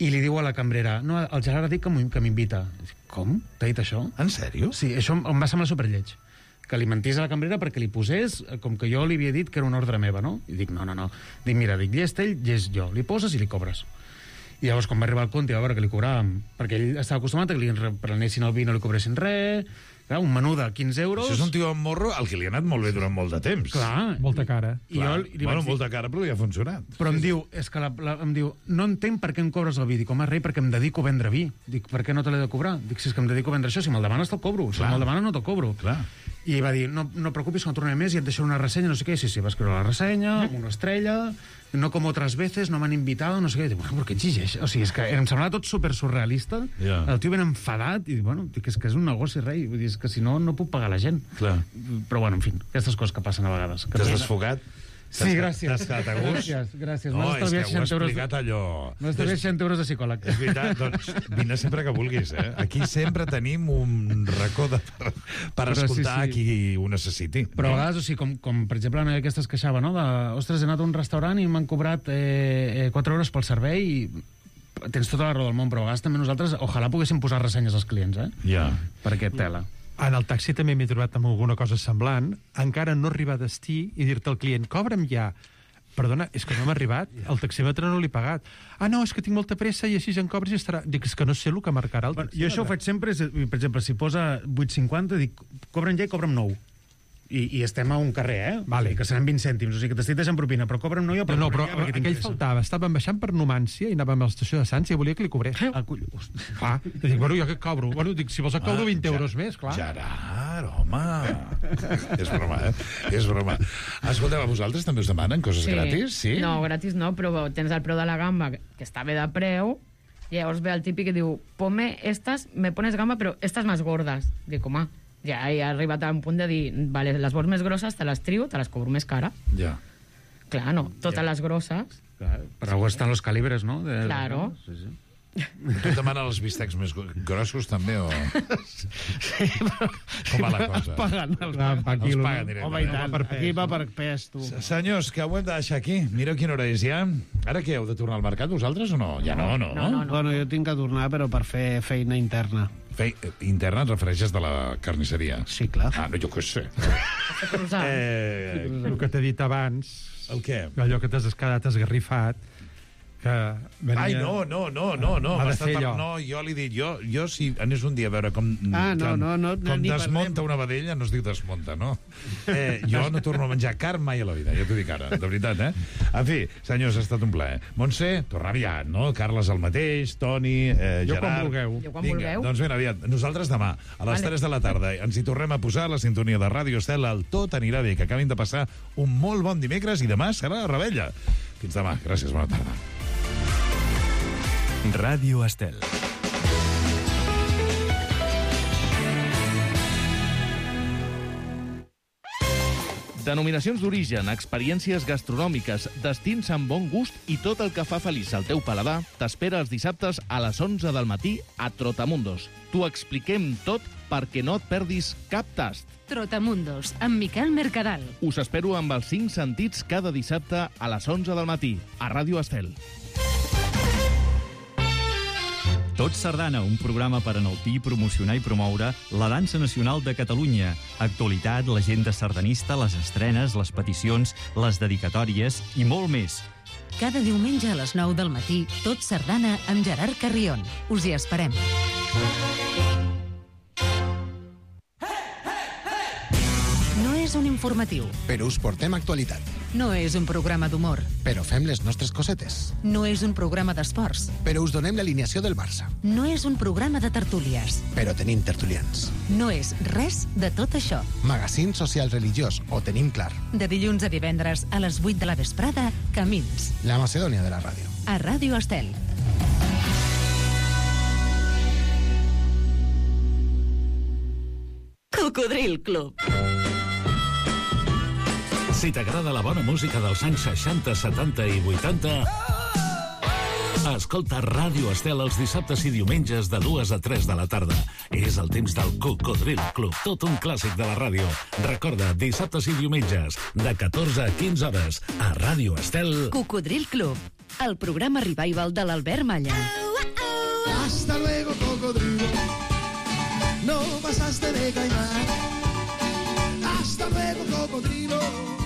I li diu a la cambrera, no, el Gerard ha dit que m'invita. Com? T'ha dit això? En sèrio? Sí, això em va semblar superlleig. Que li mentís a la cambrera perquè li posés, com que jo li havia dit que era una ordre meva, no? I dic, no. Dic, mira, llest ell, llest jo. Li poses i li cobres. I llavors, quan va arribar al compte, i va veure que li cobràvem, perquè ell estava acostumat a que li prenessin el vi i no li cobressin res, clar, un menú de 15 euros... Això és un tio amb morro al que li ha anat molt bé durant molt de temps. Clar. Molta cara. Molta cara, però li ha funcionat. Però em diu, em diu, no entenc per què em cobres el vi. Dic, home, rei, perquè em dedico a vendre vi. Dic, per què no te l'he de cobrar? Dic, si és que em dedico a vendre això, si me'l demanes te'l cobro. Si me'l demanes no te'l cobro. Clar. I va dir, no preocupis, que no tornaré més i et deixaré una ressenya, no sé què. Sí, va escriure la ressenya, una estrella, no com otras veces, no m'han invitado, no sé què. I dic, bueno, però què exigeix? O sigui, és que em semblava tot super surrealista. El tio ben enfadat, i bueno, dic, és que és un negoci, rei. Vull dir, és que si no puc pagar la gent. Clar. Però bueno, en fi, aquestes coses que passen a vegades. T'has desfogat? Sí, gràcies. T'has quedat a gust? Gràcies. No, és que ho has explicat allò... M'has estalviat 60 euros de psicòleg. És veritat, doncs vine sempre que vulguis, eh? Aquí sempre tenim un racó per escoltar qui ho necessiti. Però a vegades, o sigui, com per exemple, en aquesta es queixava, no? Ostres, he anat a un restaurant i m'han cobrat 4 euros pel servei i tens tota la raó del món, però a vegades també nosaltres ojalà poguéssim posar ressenyes als clients, eh? Ja. Perquè tela. En el taxi també m'he trobat amb alguna cosa semblant, encara no arribar a destí i dir-te al client, cobra'm ja. Perdona, és que no m'ha arribat, el taxímetre no l'he pagat. Ah, no, és que tinc molta pressa i així en cobres i estarà... Dic, és que no sé el que marcarà el taxímetre. Jo això ho faig sempre, per exemple, si posa 8,50, dic, cobra'm ja i cobra'm 9. I estem a un carrer, eh? Vale. Que seran 20 cèntims, o sigui que t'estic deixant propina, però cobra'm no jo... No, però aquell faltava, estàvem baixant per Numància i anàvem a l'estació de Sants i volia que li cobrés. Clar, dic, bueno, jo què cobro? Bueno, dic, si vols et cobro 20 euros més, clar. Gerard, home! És broma, eh? És broma. Escolteu, a vosaltres també us demanen coses gratis? Sí? No, gratis no, però tens el preu de la gamba, que està bé de preu, i llavors ve el típic que diu, ponme estas, me pones gamba, però estas más gordas. Dic, home, ja he arribat a un punt de dir, vale, les vols més grosses, te les trio, te les cobro més cara. Ja. Clar, no, totes les grosses. Clar, per algú estan los calibres, no? Claro. Sí. Tu et demanen els bistecs més grossos, també, o...? Sí, però... Com va la cosa? Es paguen els paguen directament. Home, i tant. Aquí va per pes, tu. Senyors, que ho hem de deixar aquí. Mireu quina hora és ja. Ara què, heu de tornar al mercat, vosaltres, o no? Ja no. Bueno, jo tinc que tornar, però per fer feina interna. Interna et refereixes de la carnisseria? Sí, clar. Ah, no, jo què sé. El que t'he dit abans... El què? Allò que t'has quedat esgarrifat, que venia... Ai, no. Ha de ser allò. No, jo li dic, jo si anés un dia a veure com desmunta una vedella, no es diu desmunta, no? Jo no torno a menjar carn mai a la vida, ja t'ho dic ara, de veritat, eh? En fi, senyors, ha estat un plaer. Montse, tornar aviat, no? Carles el mateix, Toni, Gerard... Jo quan vulgueu. Vinga, doncs ben aviat. Nosaltres demà, a les 3 de la tarda, ens hi tornem a posar la sintonia de Ràdio Estel, el Tot anirà bé, que acabin de passar un molt bon dimecres i demà serà la Rebella. Fins demà. Gràcies, bona tarda. Ràdio Estel. Denominacions d'origen, experiències gastronòmiques, destins amb bon gust i tot el que fa feliç al teu paladar t'espera els dissabtes a les 11 del matí a Trotamundos. T'ho expliquem tot perquè no et perdis cap tast. Trotamundos, amb Miquel Mercadal. Us espero amb els 5 sentits cada dissabte a les 11 del matí, a Ràdio Estel. Tot Sardana, un programa per enaltir, promocionar i promoure la dansa nacional de Catalunya. Actualitat, l'agenda sardanista, les estrenes, les peticions, les dedicatòries i molt més. Cada diumenge a les 9 del matí, Tot Sardana amb Gerard Carrion. Us hi esperem. No és un informatiu. Però us portem actualitat. No és un programa d'humor. Però fem les nostres cosetes. No és un programa d'esports. Però us donem l'alineació del Barça. No és un programa de tertúlies. Però tenim tertulians. No és res de tot això. Magazín social religiós, ho tenim clar. De dilluns a divendres a les 8 de la vesprada, Camins. La Macedònia de la ràdio. A Ràdio Estel. Cocodril Club. Si t'agrada la bona música dels anys 60, 70 i 80, escolta Ràdio Estel els dissabtes i diumenges de 2 a 3 de la tarda. És el temps del Cocodril Club, tot un clàssic de la ràdio. Recorda, dissabtes i diumenges, de 14 a 15 hores, a Ràdio Estel. Cocodril Club, el programa revival de l'Albert Malla. Hasta luego, cocodrilo. No pasaste de caimán. Hasta luego, cocodrilo.